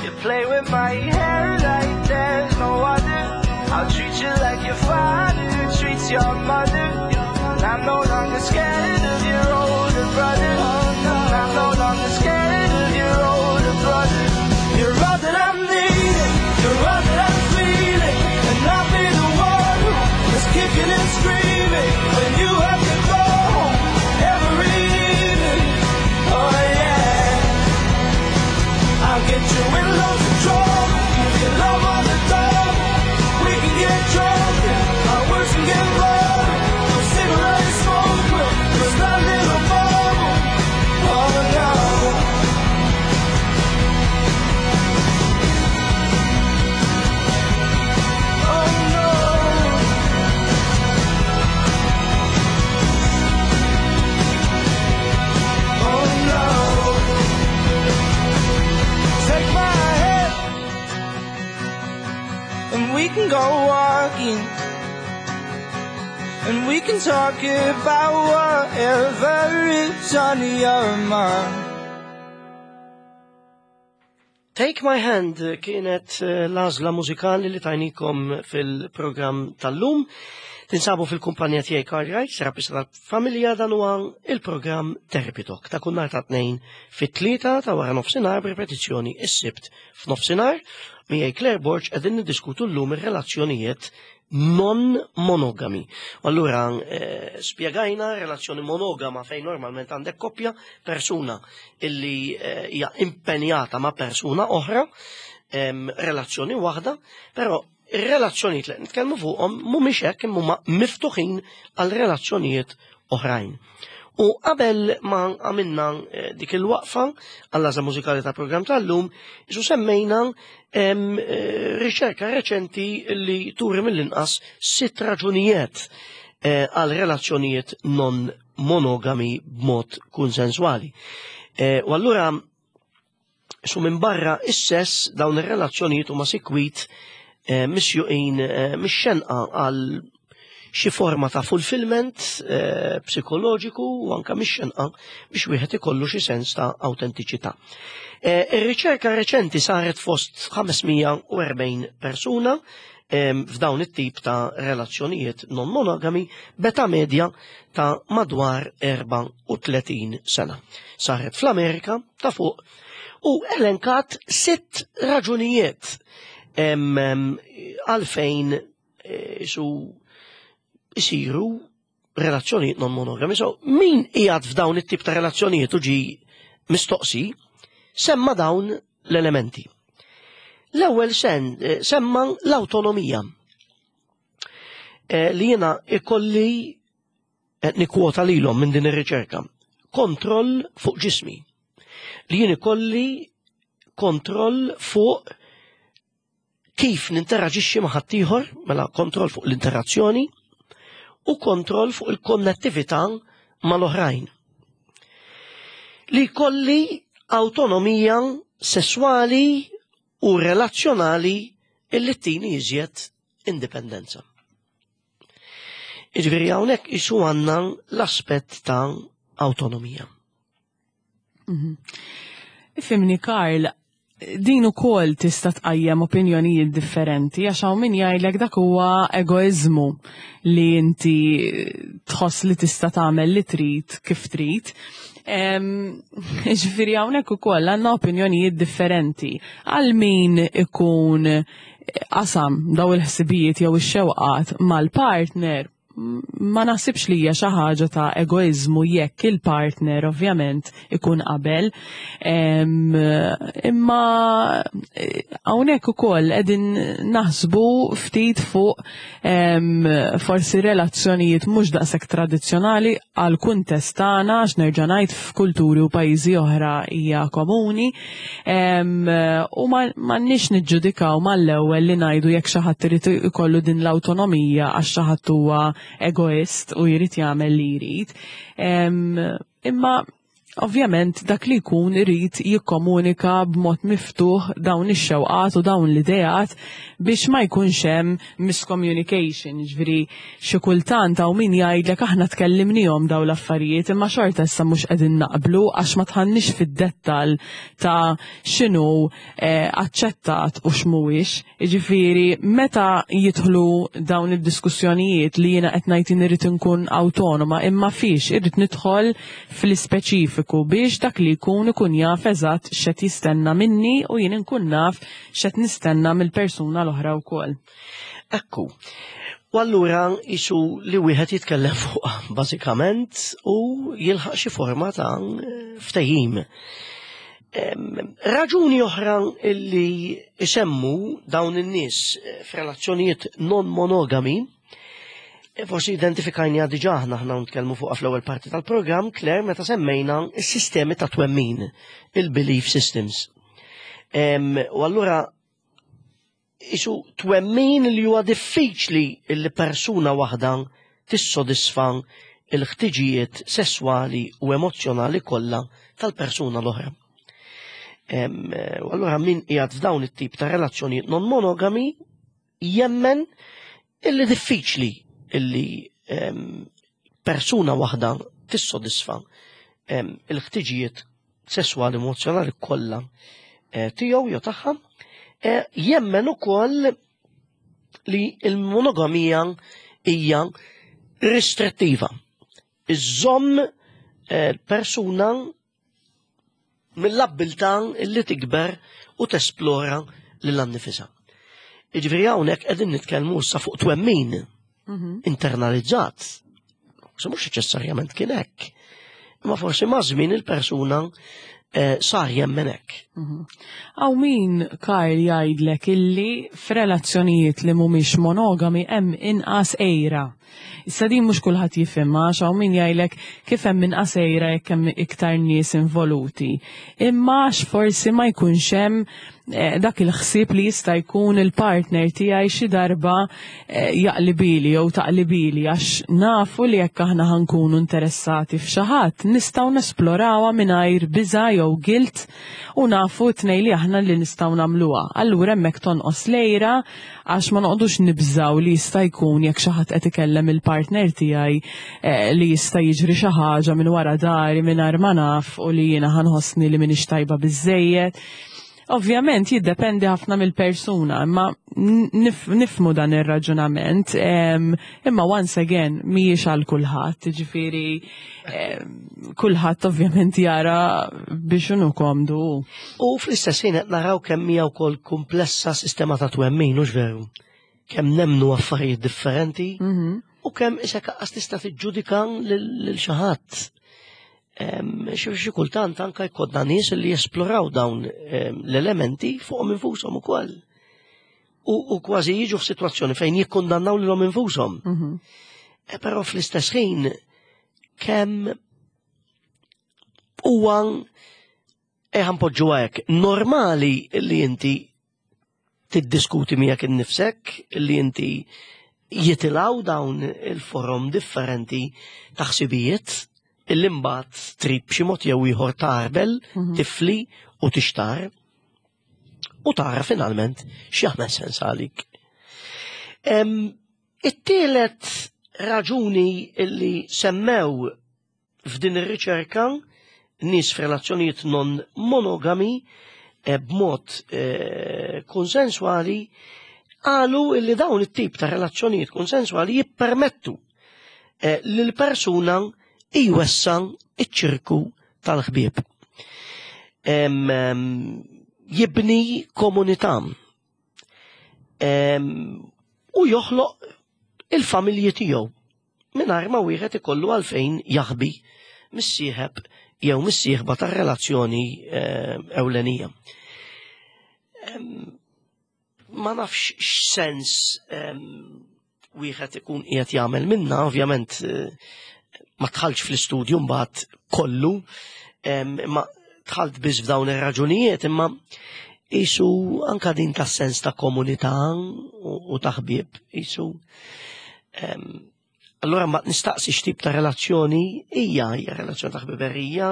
You play with my hair like there's no other. I'll treat you like your father treats your mother. And I'm no longer scared of your older brother. And I'm no longer scared of your older brother. You're all that I'm needing, you're all that I'm feeling. And I'll be the one who is kicking and screaming when you have to go home every evening. Oh yeah. I'll get you in loads of trouble, give you love on the double. We can get drunk, our words can get louder. No cigarette smoke will burst that little And we can talk about whatever is on your mind. Take My Hand kienet eh, l-għażla mużikali li tajnikom fil-programm tal-lum. Tinsabu fil-kumpanija tiegħi Karl Wright, terapista tal-familja. Dan huwa il-programm Therapy Talk ta' kull nhar ta' tnejn fit-tlieta ta' wara nofsinhar, b'ripetizzjoni is-Sibt f'nofsinhar. Miegħi Claire Borg, qegħdin niddiskutu llum ir-relazzjonijiet non monogami. Allura eh, spjegajna relazzjoni monogama, fejn normalment għandek koppja, persuna illi eh, hija impenjata ma' persuna oħra, em, relazzjoni waħda, però ir-relazzjonijiet li nitkellmu fuqhom mhumiex hekk, imma huma miftuħin għal relazzjonijiet oħrajn. U qabel ma għamilna eh, dik il-waqfa għall-għażla mużikali ta' program tal-lum, isu semmejna em, eh, riċerka reċenti li turi mill-inqas sitt raġunijiet eh, għal relazzjonijiet non monogami b'mod konsensuali. Eh, U allura su minn barra is-sess, dawn ir-relazzjonijiet huma sikwit eh, misjuqin eh, mix-xenqa għal xi forma ta' fulfillment eh, psikoloġiku u anka mix-xenqa biex wieħed ikollu xi sens ta' autentiċità. Eh, Ir-riċerka reċenti saret fost ħames mija u erbgħin persuna em, f'dawn it-tip ta' relazzjonijiet non monogami b'età medja ta' madwar erbgħa u tletin sena. Saret fl-Amerika ta' fuq u elenkat sitt raġunijiet em, em, għalfejn eh, su isiru relazzjonijiet non monogami. So, min qiegħed f'dawn it-tip ta' relazzjonijiet u ġi mistoqsi, semma dawn l-elementi. L-ewwel sen eh, semma l-awtonomija. Eh, li jiena ikolli, eh, nikwota lilhom minn din ir-riċerka. Kontroll fuq ġismi. Li jien ikolli kontroll fuq kif ninteraġixxi ma' ħaddieħor, mela kontroll fuq l-interazzjoni u kontroll fuq il-konnettività mal-oħrajn. Li kolli autonomija sessuali u relazzjonali illi tini iżjed indipendenza. Iġifieri hawnhekk isu għandna l-aspett ta' autonomija. Ifhimni, Karl, din ukoll tista' tqajjem opinjonijiet differenti, għax hawn min jgħidlek dak huwa egoiżmu li inti tħoss li tista' tagħmel li trid kif trid. Ġifieri hawnhekk ukoll għandna opinjonijiet differenti. Għal min ikun qasam daw il-ħsibijiet jew ix-xewqat mal-partner, ma naħsibx li hija xi ħaġa ta' egoiżmu jekk il-partner ovvjament ikun qabel. Imma eh, hawnhekk ukoll qegħdin naħsbu ftit fuq forsi relazzjonijiet mhux daqshekk tradizzjonali għal kuntest tagħna, għax nerġa' ngħid, f'kulturi u pajjiżi oħra hija komuni. U m'għandniex niġġudikaw mal-ewwel li ngħidu jekk xi ħadd irid ikollu din l-awtonomija għax xi ħadd huwa egoist u jrid jagħmel li jrid. Imma ovvjament dak li jkun irid jikkomunika b'mod miftuħ dawn ix-xewqat u dawn l-ideat biex ma jkunx hemm miscommunication. Ġifieri xi kultant hawn min jgħidlek, "Aħna tkellimnihom dawn l-affarijiet, imma xorta issa mhux qegħdin naqblu għax ma dħalniex fid-dettall ta' x'inhu eh, aċċettat u x'mhuwiex." Jiġifieri meta jidħlu dawn id-diskussjonijiet li jiena qed ngħid irid inkun awtonoma, imma fiex irrid nidħol fl-ispeċifiku biex dak li jkun ikun jaf eżatt x'qed jistenna minni u jien inkun naf x'qed nistenna mill-persuna l-oħra wkoll. Ekku. U allura isu li wieħed jitkellem fuq bażikament u jilħaq xi forma ta' ftehim. Raġuni oħra illi isemmu dawn in-nies f'relazzjonijiet non monogami, e forsi identifikajna diġà aħna aħna nitkellmu fuq fl-ewwel parti tal-programm, Claire, meta semmejna s-sistemi ta' twemmin, il-belief systems. U allura isu twemmin li huwa diffiċli li persuna waħda tissodisfa il-ħtiġijiet sesswali u emozjonali kollha tal-persuna l-oħra. U allura min qiegħed f'dawn it-tip ta' relazzjoni non monogami jemmen illi diffiċli illi em, persuna waħda tissodisfa em, il-ħtiġijiet sesswali, emozjonali kollha eh, tiegħu jew tagħha, eh, jemmen ukoll li l-monogamija hija restrittiva. Iżżomm eh, persuna mill-abbiltà li tikber u tesplora lil nifisha. Jiġifieri hawnhekk qegħdin nitkellmu issa fuq twemmin Mhm. internalizzat. Se mhux neċessarjament kien hekk. Imma forsi ma' żmien il-persuna eh, sar jemmen hekk. Hawn min, Karl, jgħidlek illi f'relazzjonijiet li mhumiex monogami hemm inqas għira. Issa din mhux kulħadd jifhimha, għax hawn min jgħidlek kif hemm inqas għira jekk hemm iktar nies involuti. Imma għax forsi ma jkunx hemm eh, dak il-ħsieb li jista' jkun il-partner tiegħi xi darba eh, jaqlibili jew taqlibili, għax nafu li jekk aħna ħa nkunu interessati f'xi ħadd nistgħu nesplorawha mingħajr biża' jew guilt u nafu tnejn li aħna li nistgħu nagħmluha. Allura hemmhekk tonqos l-għira għax ma noqogħdux nibżaw li jista' jkun jekk xi ħadd qed ikellem il-partner tiegħi eh, li jista' jiġri xi ħaġa minn wara dari mingħajr ma naf u li jiena ħa nħossni li m'iniex tajba biżejjed. Ovvjament jiddependi ħafna mill-persuna, imma nif, nifhmu dan ir-raġunament, em, imma once again mhijiex għal kulħadd, ġifieri em, kulħadd ovvjament jara biex inhu komdu. U fl-istess ħin qed naraw kemm hija wkoll komplessa sistema ta' twemmin, hux veru? Kemm nemmnu affarijiet differenti Mhm. u kemm isek qas tista' tiġġudika lil lil xi ħadd. Em, Xi xi kultant anka jkollna nies li jesploraw dawn em, l-elementi fuqhom infushom ukoll. U, u kważi jiġu f'sitwazzjoni fejn jikkundannaw lilhom infushom. Mhm. E però fl-istess ħin kemm huwa e ħa npoġġu hekk normali li inti tiddiskuti miegħek innifsek, li inti jitilgħu dawn il-forom differenti ta' ħsibijiet illi mbagħad trid b'xi mod jew ieħor tagħrbel, Mhm. tifli u tixtar u tara finalment x'jagħmel sens għalik. Em, It-tielet raġuni illi semmew f'din ir-riċerka nies f'relazzjonijiet non monogami eh, b'mod eh, konsensuali qalu illi dawn it-tip ta' relazzjonijiet konsensuali jippermettu eh, li l-persuna jwessa' iċ-ċirku tal-ħbieb. Em, em, Jibni komunità Em, u joħloq il-familji tiegħu mingħajr ma wieħed ikollu għalfejn jaħbi mis-sieħeb jew mis-sieħba tar-relazzjoni eh, ewlenija. Em, Ma nafx x'sens em, wieħed ikun qiegħed jagħmel minna, ovvjament eh, ma dħaltx fl-istudju mbagħad kollu, em, imma dħalt biss f'dawn ir-raġunijiet, imma qisu anka din ta' sens ta' komunità u, u ta' ħbieb, qisu em, allora ma nistaqsi x'tip ta' relazzjoni hija, hija relazzjoni ta' ħbiberija,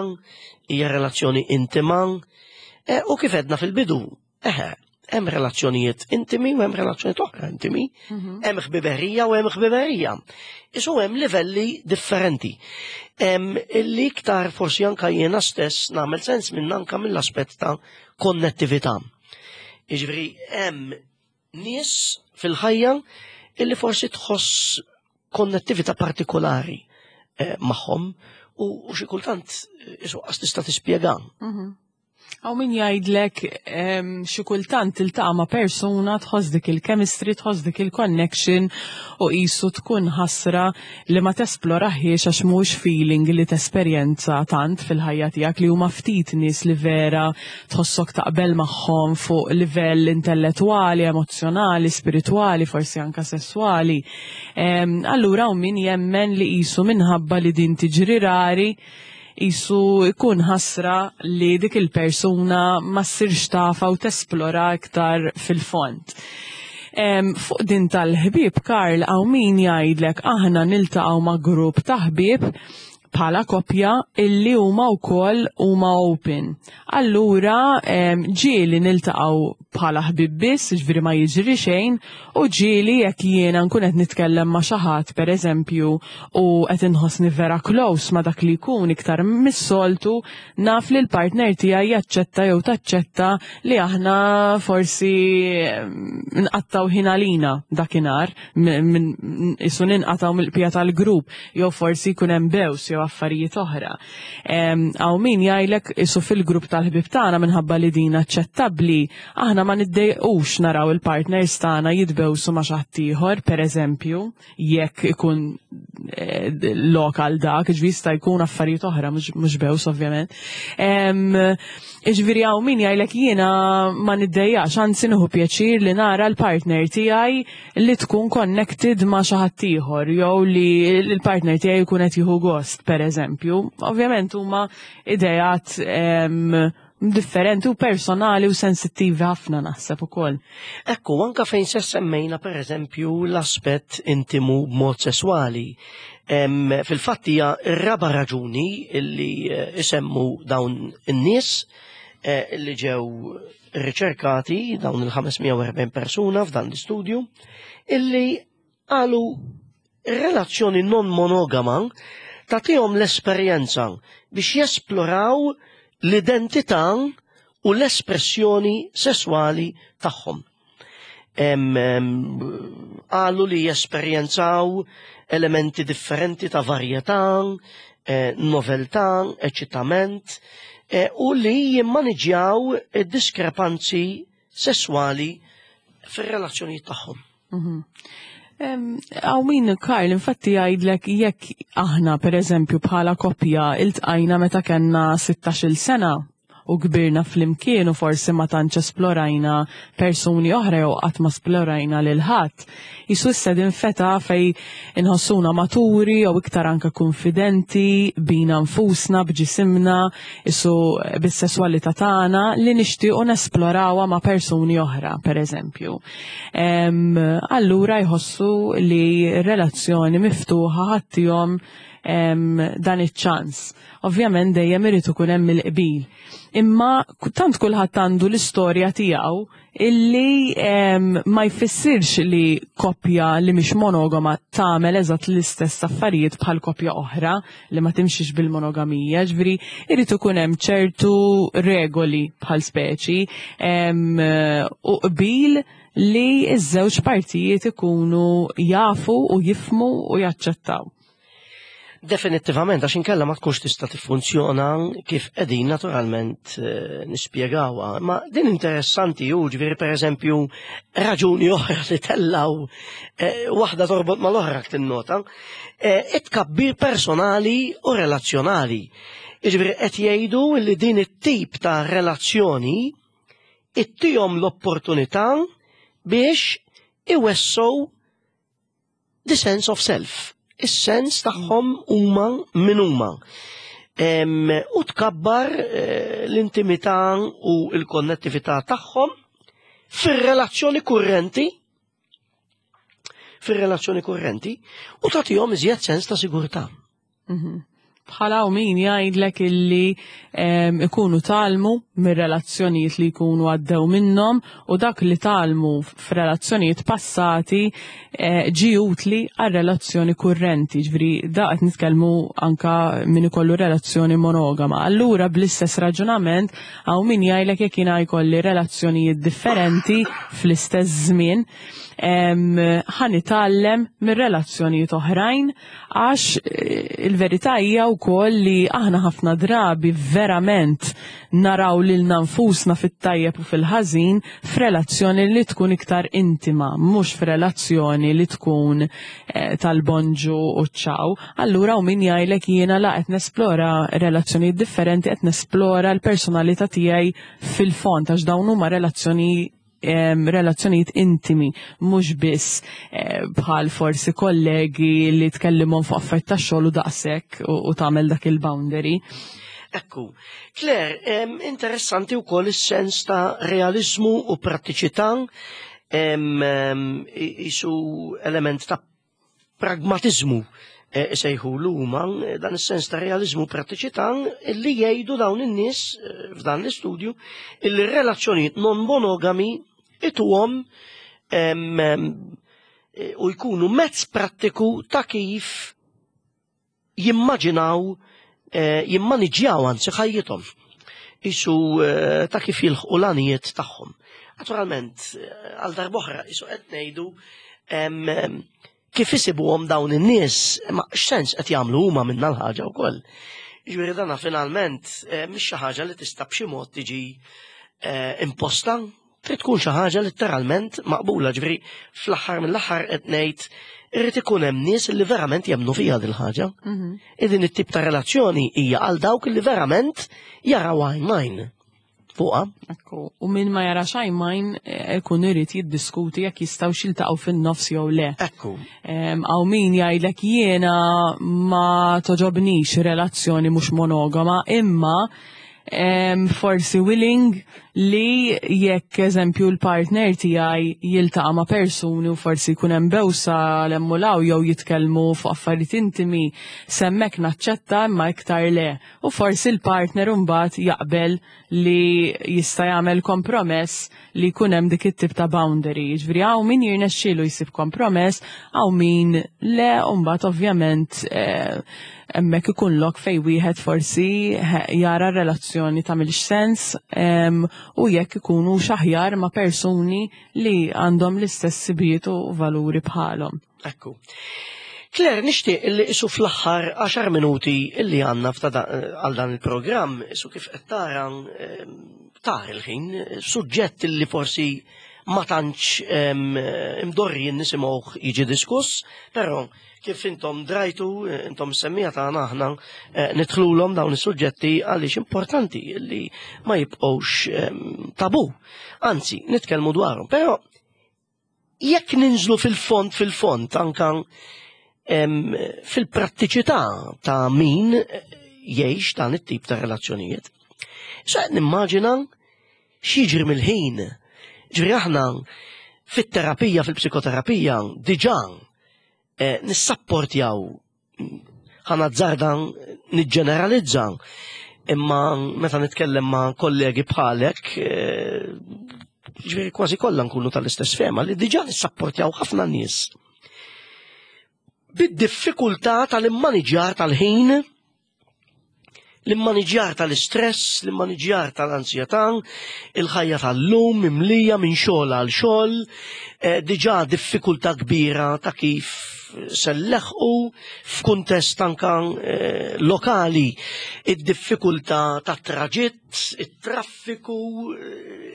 hija relazzjoni intima, e, u kif għedna fil-bidu, eħe, hemm relazzjonijiet intimi u hemm relazzjonijiet oħra intimi, Mhm. hemm ħbiberija u hemm ħbiberija. Qisu hemm livelli differenti. Hemm illi iktar forsi anka jiena stess nagħmel sens minn anka mill-aspett ta' konnettività. Jiġifieri hemm nies fil-ħajja illi forsi tħoss konnettività partikolari eh, magħhom u, u xi kultant eh, qisu qas tista' tispjega. Mhm. Hawn min jgħidlek em, xi kultant tiltaqa' ma' persuna, tħoss dik il-chemistry, tħoss dik il-connection u qisu tkun ħasra li ma tesploraħiex għax mhux feeling li tesperjenza tant fil-ħajja tiegħek, li huma ftit nies li vera tħossok taqbel magħhom fuq livell intellettwali, emozzjonali, spiritwali, forsi anka sessuali. Em, Allura hawn min jemmen li qisu minħabba li din tiġri rari, qisu ikun ħasra li dik il-persuna ma ssirx tafa u tesplora iktar fil-fond. Em, fuq din tal-ħbieb, Karl, hawn min jgħidlek aħna niltaqgħu ma' grupp ta' ħbieb, bħala koppja illi huma wkoll huma open. Allura ġieli niltaqgħu bħala ħbib biss, ġifieri ma jiġri xejn, u ġieli jekk jiena nkun qed nitkellem ma' xi ħadd, pereżempju, u qed inħossni vera close ma' dak li jkun iktar mis-soltu, naf li l-partner tiegħi jaċċetta jew taċċetta li aħna forsi nqattaw ħin għalina dakinhar, isu ninqataw mill-bqija tal-grupp, jew forsi jkun hemm bews jew affarijiet oħra. Hawn min jgħidlek isu fil-grupp tal-ħbib tagħna, minħabba li din aċċettabbli, aħna ma niddejqux naraw il-partners tagħna jitbewsu ma' xi ħadd ieħor, pereżempju, jekk ikun eh, lokal dak, ġifieri jista' jkun affarijiet oħra, mhux bews ovvjament. Ġifieri hawn min jgħidlek jiena ma niddejjax, anzi nieħu pjaċir li nara l-partner tiegħi li tkun connected ma' xi ħadd ieħor jew li l-partner tiegħi jkun qed jieħu gost, pereżempju. Ovvjament huma idejat differenti u personali u sensittivi ħafna, naħseb ukoll. Ekku, anka fejn se semmejna, per eżempju, l-aspett intimu b'mod sesswali. Fil-fatt hija r-raba raġuni illi eh, isemmu dawn in-nies eh, illi ġew riċerkati, dawn il-ħames mija u erbgħin persuna f'dan l-istudju, illi qalu relazzjoni non monogama tagħtihom l-esperjenza biex jesploraw l-identità u l-espressjoni sessuali tagħhom. Qalu li jesperjenzaw elementi differenti ta' varjetà, eh, noveltà, eċitament, eh, u li jimmaniġjaw diskrepanzi sessuali fir-relazzjonijiet tagħhom. Mhm. Hawn min, Karl, infatti jgħidlek jekk aħna, per eżempju, bħala koppja iltqajna meta kellna sittax-il sena u kbirna flimkien u forsi ma tantx esplorajna persuni oħra jew qatt ma esplorajna lil ħadd. Jisu issa din feta fej inħossuna maturi jew iktar anke konfidenti bina nfusna, b'ġisimna, isu bis-sesswalità tagħna li nixtiequ nesplorawha ma' persuni oħra, per eżempju. Allura jħossu li relazzjoni miftuħa ħa ttihom dan iċ-ċans. Ovvjament dejjem irid ikun hemm il-qbil. Imma tant kulħadd għandu l-istorja tiegħu illi ma jfissirx li koppja li mhix monogama tagħmel eżatt l-istess affarijiet bħal koppja oħra li ma timxix bil-monogamija, ġifieri irid ikun hemm ċertu regoli bħal speċi u qbil li ż-żewġ partijiet ikunu jafu u jifhmu u jaċċettaw. Definittivament, għax inkella ma tkunx tista' tiffunzjona kif qegħdin naturalment eh, nispjegawha. Ma din interessanti ju, ġifieri, pereżempju, raġuni oħra li tellaw, eh, waħda torbot mal-oħra, tinnota, eh, it-tkabbir personali u relazzjonali. Ġifieri qed jgħidu li din it-tip ta' relazzjoni ittihom l-opportunità biex iwessow the sense of self, is-sens tagħhom huma min huma. U tkabbar eh, l-intimità u l-konnettività tagħhom fir-relazzjoni kurrenti fir-relazzjoni kurrenti u tagħtihom iżjed sens ta' sigurtà. Mhm. Bħala u min jgħidlek illi ikunu tgħallmu mir-relazzjonijiet li jkunu għaddew minnhom u dak li tgħallmu f'relazzjonijiet passati eh, ġi utli għal relazzjoni kurrenti, ġifieri da qed nitkellmu anka min ikollu relazzjoni monogama. Allura bl-istess raġunament hawn min jgħidlek jekk jiena jkolli relazzjonijiet differenti fl-istess żmien, ħa nitgħallem mir-relazzjonijiet oħrajn, għax eh, il-verità hija wkoll li aħna ħafna drabi verament naraw lilna nfusna fit-tajjeb u fil-ħażin f'relazzjoni li tkun iktar intima, mhux f'relazzjoni li tkun eh, tal-bonġu u ċaw. Allura u min jgħidlek jiena la qed nesplora relazzjonijiet differenti, qed nesplora l-personalità tiegħi fil-fond, għax dawn huma relazzjoni relazzjonijiet intimi, mhux biss eh, bħal forsi kollegi li tkellimhom fuq affarijiet ta' xogħol u daqshekk u tagħmel dak il-boundary. Ekku, Claire, interessanti wkoll is-sens ta' realizmu u prattiċità, isu element ta' pragmatizmu Sejħu l-huma dan is-sens ta' realizmu, prattiċità, li jgħidu dawn in-nies f'dan l-istudju illi relazzjonijiet non monogami ituhom u jkunu mezz prattiku ta' kif jimmaġinaw, jimmaniġjaw anzi ħajjithom. Isu ta' kif jilħqu l-għanijiet tagħhom. Naturalment, għal darb'oħra, isu qed ngħidu kif isibuhom dawn in-nies, ma x'sens qed jagħmlu huma minna l-ħaġa wkoll. Jiġifieri dana finalment mhix xi ħaġa li tista' b'xi mod tiġi imposta, trid tkun xi ħaġa letteralment maqbula, ġifieri fl-aħħar mill-aħħar qed ngħid irrid ikun hemm nies li verament jemmnu fiha din ħaġa. Din it-tip ta' relazzjoni hija għal dawk li verament jaraw għajnejn fuqha. Ekku, u min ma jarax għajnejn ikun irid jiddiskuti jekk jistgħu jiltaqgħu fin-nofs jew le. Ekku. Hawn min jgħidlek jiena ma toġobnix relazzjoni mhux monogama, imma forsi willing li jekk eżempju l-partner tiegħi jiltaqa' ma' persuni u forsi jkun hemm bewsa l-emmulaw jew jitkellmu fuq affarijiet intimi, hemmhekk naċċetta imma iktar le. U forsi l-partner mbagħad jaqbel li jista' jagħmel kompromess li jkun hemm dik it-tip ta' boundary. Jiġifieri hawn min jirnexxielu jsib kompromess, hawn min le, u mbagħad ovvjament hemmhekk ikun lok fejn wieħed forsi jara r-relazzjoni tagħmilx sens u jekk ikunu xaħjar ma' persuni li għandhom l-istess sibiet u valuri bħalhom. Ekku. Claire, nixtieq illi isu fl-aħħar għaxar minuti illi għandna għal dan il-programm, isu kif qed tara tar il-ħin, suġġett illi forsi ma tantx imdorri nisimgħuh jiġi diskuss, però kif intom drajtu, intom semmija tagħna aħna nidħlulhom dawn is-suġġetti għaliex importanti li ma jibqgħux tabu. Anzi, nitkellmu dwarhom. Però jekk ninżlu fil-fond fil-fond anka fil-prattiċità ta' min jgħix dan it-tip ta' relazzjonijiet. Sa nimmaġina x'jiġri mill-ħin. Ġifieri aħna fit-terapija, fil-psikoterapija, diġà nissapportjaw, ħa nazzarda niġġeneralizza, imma meta nitkellem ma' kollegi bħalek, ġifieri kważi kollha nkunu tal-istess fema li diġà nissapportjaw ħafna nies bid-diffikultà tal-immaniġjar tal-ħin, l-immaniġjar tal-istress, l-immaniġjar tal-ansjetà, il-ħajja tal-lum mimlija minn xogħol għal xogħol, diġà diffikultà kbira ta' kif selleħqu f'kuntest anka lokali, id-diffikultà ta' traġitt, it-traffiku,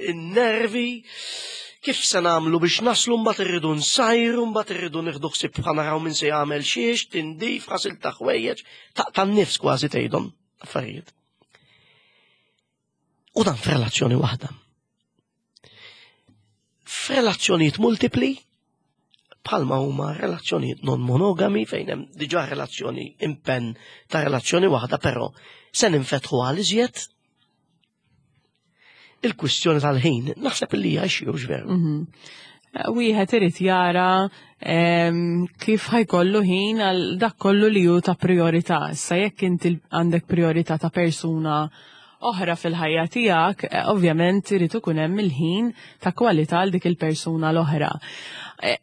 in-nervi, kif se nagħmlu biex naslu, mbagħad irridu nsajru, mbagħad irridu nieħdu ħsieb bħal naraw min se jagħmel xiex, tindif, ħasil ta' ħwejjeġ, taqta' n-nifs kważi tgħidhom affarijiet. U dan f'relazzjoni waħda. F'relazzjonijiet multipli, bħalma huma relazzjonijiet non monogami fejn hemm diġà relazzjoni impenn ta' relazzjoni waħda, però se ninfetħu għal iżjed. Il-kwistjoni tal-ħin naħseb li hija xi veru. Wieħed irid jara kif ħajkollu ħin għal dak kollu li hu ta' priorità. Issa jekk inti għandek priorità ta' persuna oħra fil-ħajja tiegħek, ovvjament irid ikun hemm il-ħin ta' kwalità għal dik il-persuna l-oħra.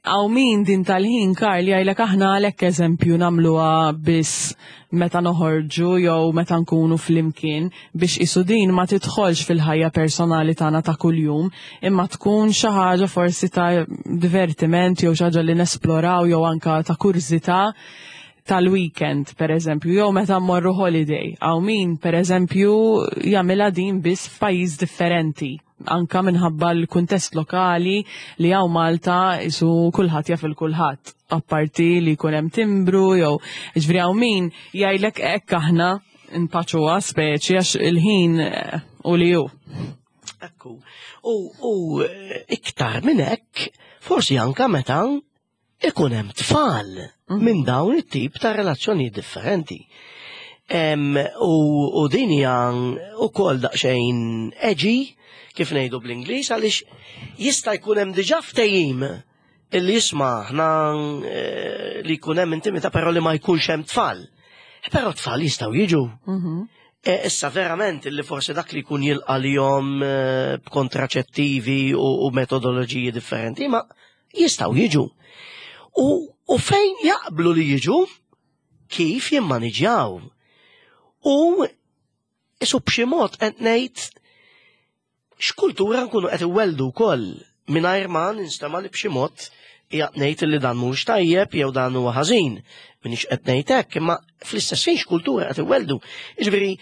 Hawn min din tal-ħin, Karl, jgħidlek aħna għalhekk eżempju nagħmluha biss meta noħorġu jew meta nkunu flimkien biex isu din ma tidħolx fil-ħajja personali tagħna ta' kuljum, imma tkun xi ħaġa forsi ta' divertiment jew xi ħaġa li nesploraw jew anka ta' kurżità tal-weekend, per eżempju, jew meta mmorru holiday. Hawn min, per eżempju, jagħmilha din biss f'pajjiż differenti, anka minħabba l-kuntest lokali li hawn Malta isu kulħadd jaf il kulħadd, apparti li jkun hemm timbru jew ġifieri hawn min jgħidlek hekk aħna npaċuha speċi għax il-ħin u li hu. Ekku. U, u iktar minn hekk, forsi anka meta ikun hemm tfal minn dawn it-tip ta' relazzjonijiet differenti. Em, u, u din hija wkoll daqsxejn edgy, kif ngħidu bl-Ingliż, għaliex jista' jkun hemm diġà ftehim Illi jisma' aħna eh, li jkun hemm intimità, però li ma jkunx hemm tfal. Eh, Però tfal jistgħu jiġu. Mhm. E, issa verament illi forsi dak li jkun jilqa lihom eh, b'kontraċettivi u, u metodoloġiji differenti, ma jistgħu jiġu. U, u fejn jaqblu li jiġu, kif jimmaniġjaw. U isu b'xi mod qed ngħid x'kultura nkunu qed iwelldu wkoll, mingħajr ma ninstema' li b'xi mod qiegħed ngħid li dan mhux tajjeb jew dan huwa ħażin. Minix qed ngħid hekk, imma fl-istess ħin x'kultura qed iwelldu. Jiġifieri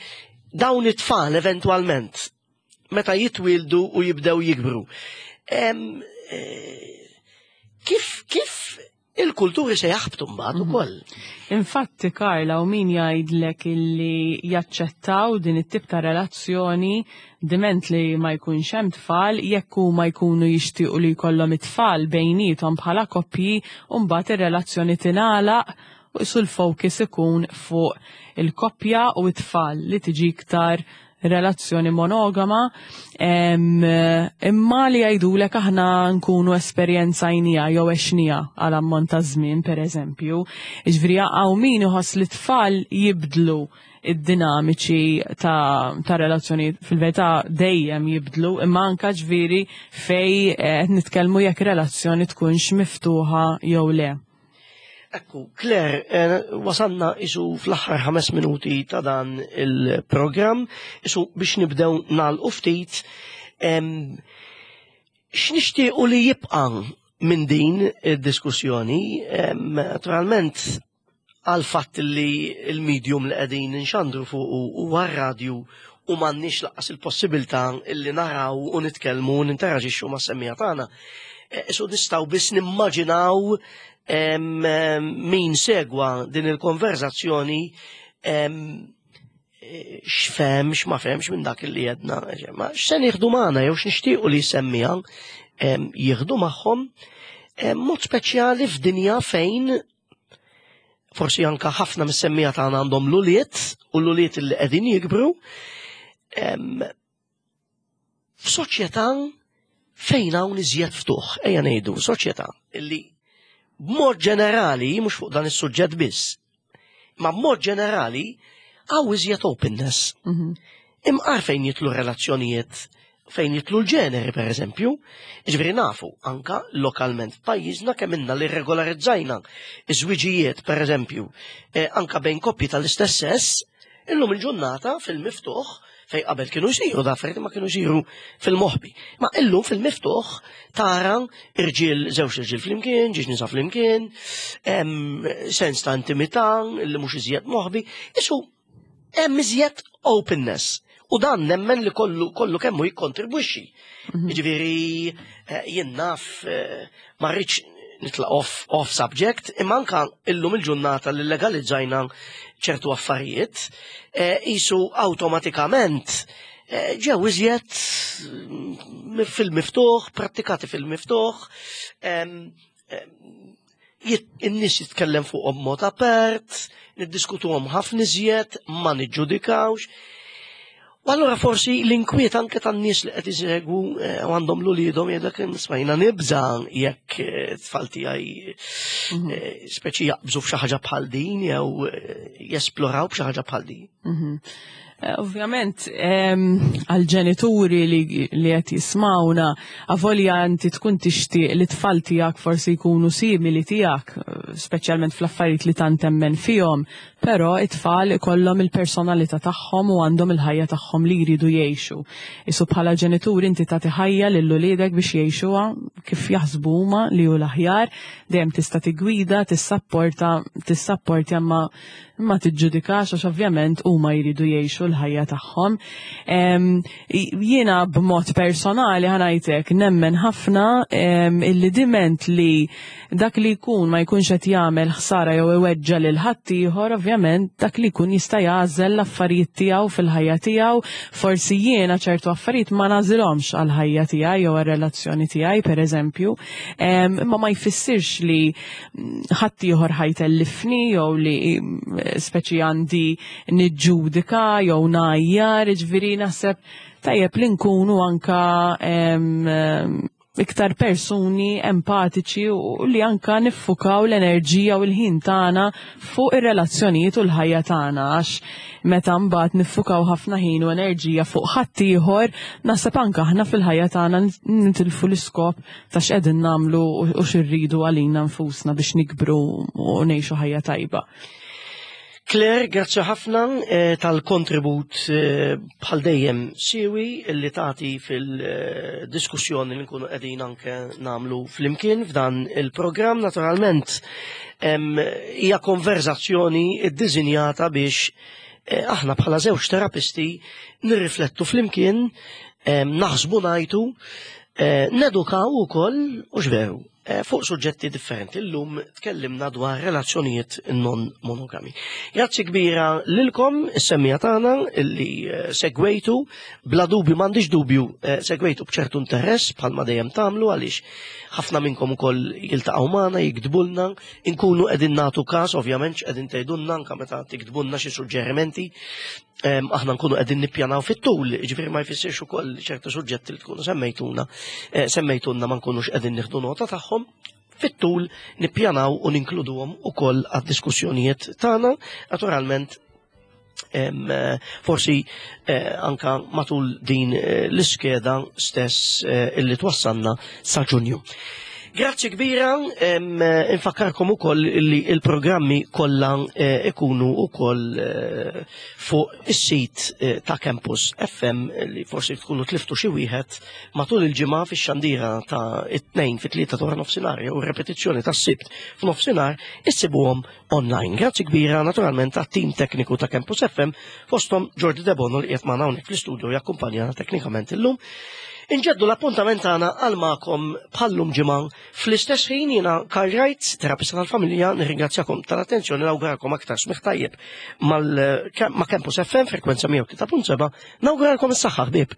dawn it-tfal eventwalment meta jitwildu u jibdew jikbru. Em, eh, Kif kif il-kulturi se jaħbtu mbagħad ukoll? Infatti, Karla, u min jgħidlek illi jaċċettaw din it-tip ta' relazzjoni diment li ma jkunx hemm tfal, jekk huma jkunu jixtiequ li jkollhom it-tfal bejniethom bħala koppji, u mbagħad ir-relazzjoni tingħalaq u qisu l-focus ikun fuq il-koppja u t-tfal, li tiġi iktar relazzjoni monogama, em, imma li jgħidulek aħna nkunu esperjenzajnieha jew għexnieha għal ammont ta' żmien, pereżempju. Jiġifieri hawn min iħoss li tfal jibdlu id-dinamiċi ta', ta relazzjoni, fil-verità dejjem jibdlu, imma anka ġifieri fej eh, qed nitkellmu jekk relazzjoni tkunx miftuħa jew le. Ekku, Claire, eh, wasanna isu fl-aħħar ħames minuti ta' dan il-programm, isu biex nibdew nagħlqu ftit, em, x'nixtiequ li jibqa' minn din id-diskussjoni? em, naturalment għal fatt li il-medium li qegħdin nxandru fuq huwa r-radju u m'għandniex lanqas il-possibilità illi naraw u nitkellmu u ninteraġixxu mas-semmiegħa tagħna. Eh, Isu nistgħu biss nimmaġinaw em, em, min segwa din il-konverzazzjoni em, eh, x'fehem, x'ma fehemx minn dak li jedna. Ma x'se nieħdu magħna jew x'nixtiequ li semmiha em, jieħdu magħhom em, mod speċjali f'dinja fejn forsi anka ħafna mis-semmiegħa tagħna għandhom l-ulied u l-ulied li qegħdin jikbru em, f'soċjetà fejn hawn iżjed ftuħ, ejja ngħidu, soċjetà illi b'mod ġenerali, mhux fuq dan is-suġġett biss, ma b'mod ġenerali hawn iżjed openness. Mhm. Imqar fejn jidħlu relazzjonijiet, fejn jidħlu l-ġeneri, per eżempju, ġifieri nafu anka lokalment f'pajjiżna kemm inna li regolarizzajna iż-żwiġijiet, per eżempju, eh, anka bejn koppji tal-istess sess, illum il-ġurnata fil-miftuħ, fej qabel kienu jsiru da affarijiet ma kienu jsiru fil-moħbi. Ma illum fil-miftuħ tara irġiel, żewġ irġiel flimkien, żewġ nisa flimkien, em, sens ta' intimità li mhux iżjed moħbi, isu hemm iżjed openness. U dan nemmen li kollu kollu kemmu jikkontribwixxi. Jiġifieri eh, jien naf, eh, ma rridx nitlaq off, off subject, imma anka illum il-ġurnata li legalizzajna ċertu affarijiet, eh, isu awtomatikament eh, ġew iżjed mm, fil-miftuħ, prattikati fil-miftuħ, em, em, jit- in-nies jitkellem fuqhom mod apert, niddiskutuhom ħafna iżjed, ma niġġudikawx. U allura forsi l-inkwiet anke tan-nies li qed isegwu eh, u għandhom l-uliedhom jgħidlek, "Smajna nibża jekk eh, tfal tiegħi eh, speċi jaqbżu f'xi ħaġa bħal din jew eh, jesploraw b'xi ħaġa bħal din." Mhm. Eh, Ovvjament, em, għal-ġenituri li, li qed jismawna, avolja inti tkun tixtieq li tfal tiegħek forsi jkunu simili tiegħek, eh, speċjalment fl-affarijiet li tant temmen fihom, però it-tfal ikollhom il-personalità tagħhom u għandhom il-ħajja tagħhom li jridu jgħixu. Isu bħala ġenituri inti tagħti ħajja lil uliedek biex jgħixuha kif jaħsbu huma li hu l-aħjar, dejjem tista' tigwida, tissapporta, tissapporti ma ma tiġġudikax, għax ovvjament huma jridu jgħixu l-ħajja tagħhom. Em, Jiena b'mod personali ħa ngħidlek nemmen ħafna em, illi diment li dak li jkun ma jkunx qed jagħmel ħsara jew iweġġa lil ħaddieħor, ovvjament dak li jkun jista' jagħżel l-affarijiet tiegħu fil-ħajja tiegħu. Forsi jiena ċertu affarijiet ma nagħżilhomx għall-ħajja tiegħi jew għar-relazzjoni tiegħi, pereżempju, Em, imma ma jfissirx li mm, ħaddieħor ħa jtellifni jew li mm, speċi għandi niġġudika jew ngħajjar, ġifieri naħseb tajjeb li nkunu anka em, em, iktar persuni empatiċi u li anka niffukaw l-enerġija u l-ħin tagħna fuq ir-relazzjonijiet u l-ħajja tagħna, għax meta mbagħad niffukaw ħafna ħin u enerġija fuq ħaddieħor, naħseb anka aħna fil-ħajja tagħna nitilfu l-iskop ta' x'qegħdin nagħmlu u x'irridu għalina nfusna biex nikbru u ngħixu ħajja tajba. Claire, grazzi ħafna eh, tal-kontribut eh, bħal dejjem siwi li tagħti fil-diskussjoni li nkunu qegħdin anke nagħmlu flimkien f'dan il-programm. Naturalment hija konverzazzjoni ddisinjata biex eh, aħna bħala żewġ terapisti nirriflettu flimkien, naħsbu, ngħidu, nedukaw ukoll u x'veru fuq suġġetti differenti. Illum tkellimna dwar relazzjonijiet non monogami. Grazzi kbira lilkom, is-semmiegħa tagħna illi segwejtu, bla dubju, m'għandix dubju, segwejtu b'ċertu interess bħalma dejjem tagħmlu, għaliex ħafna minnkom ukoll jiltaqgħu magħna, jiktbulna, inkunu qegħdin nagħtu każ ovvjament x'qegħdin tgħidulna anke meta tiktbulna xi suġġerimenti. Aħna nkunu qegħdin nippjanaw fit-tul, ġifieri ma jfissirx ukoll ċertu suġġetti li tkunu semmejtuna, semmejtuna ma nkunux qegħdin nieħdu nota tagħhom. Fit-tul nippjanaw u ninkluduhom ukoll għad-diskussjonijiet tagħna, naturalment forsi anka matul din l-iskeda stess illi twassalna sa Ġunju. Grazzi kbira, infakkarkom ukoll li il-programmi kollha ikunu ukoll fuq is-sit ta' Campus F M li forsi tkunu tliftu xi wieħed matul il-ġimgħa fix-xandira ta' it-tnejn fit-tlieta ta' nofsinhar u repetizzjoni tas-Sibt f'nofsinhar issibuhom online. Grazzi kbira naturalment għat-tim tekniku ta' Campus F M, fosthom Jordi Debono li qiegħed magħna hawnhekk fl-istudio jakkumpanjana teknikament illum. Inġeddu l-appuntament tagħna għal magħkom bħallum ġimgħa fl-istess ħin. Jiena Karl Wright, terapista tal-familja, nirringrazzjakom tal-attenzjoni, nawguralkom aktar smigħ tajjeb ma' Campus F M frekwenza mija u tlieta punt seba', nawguralkom is-saħħa, ħbieb.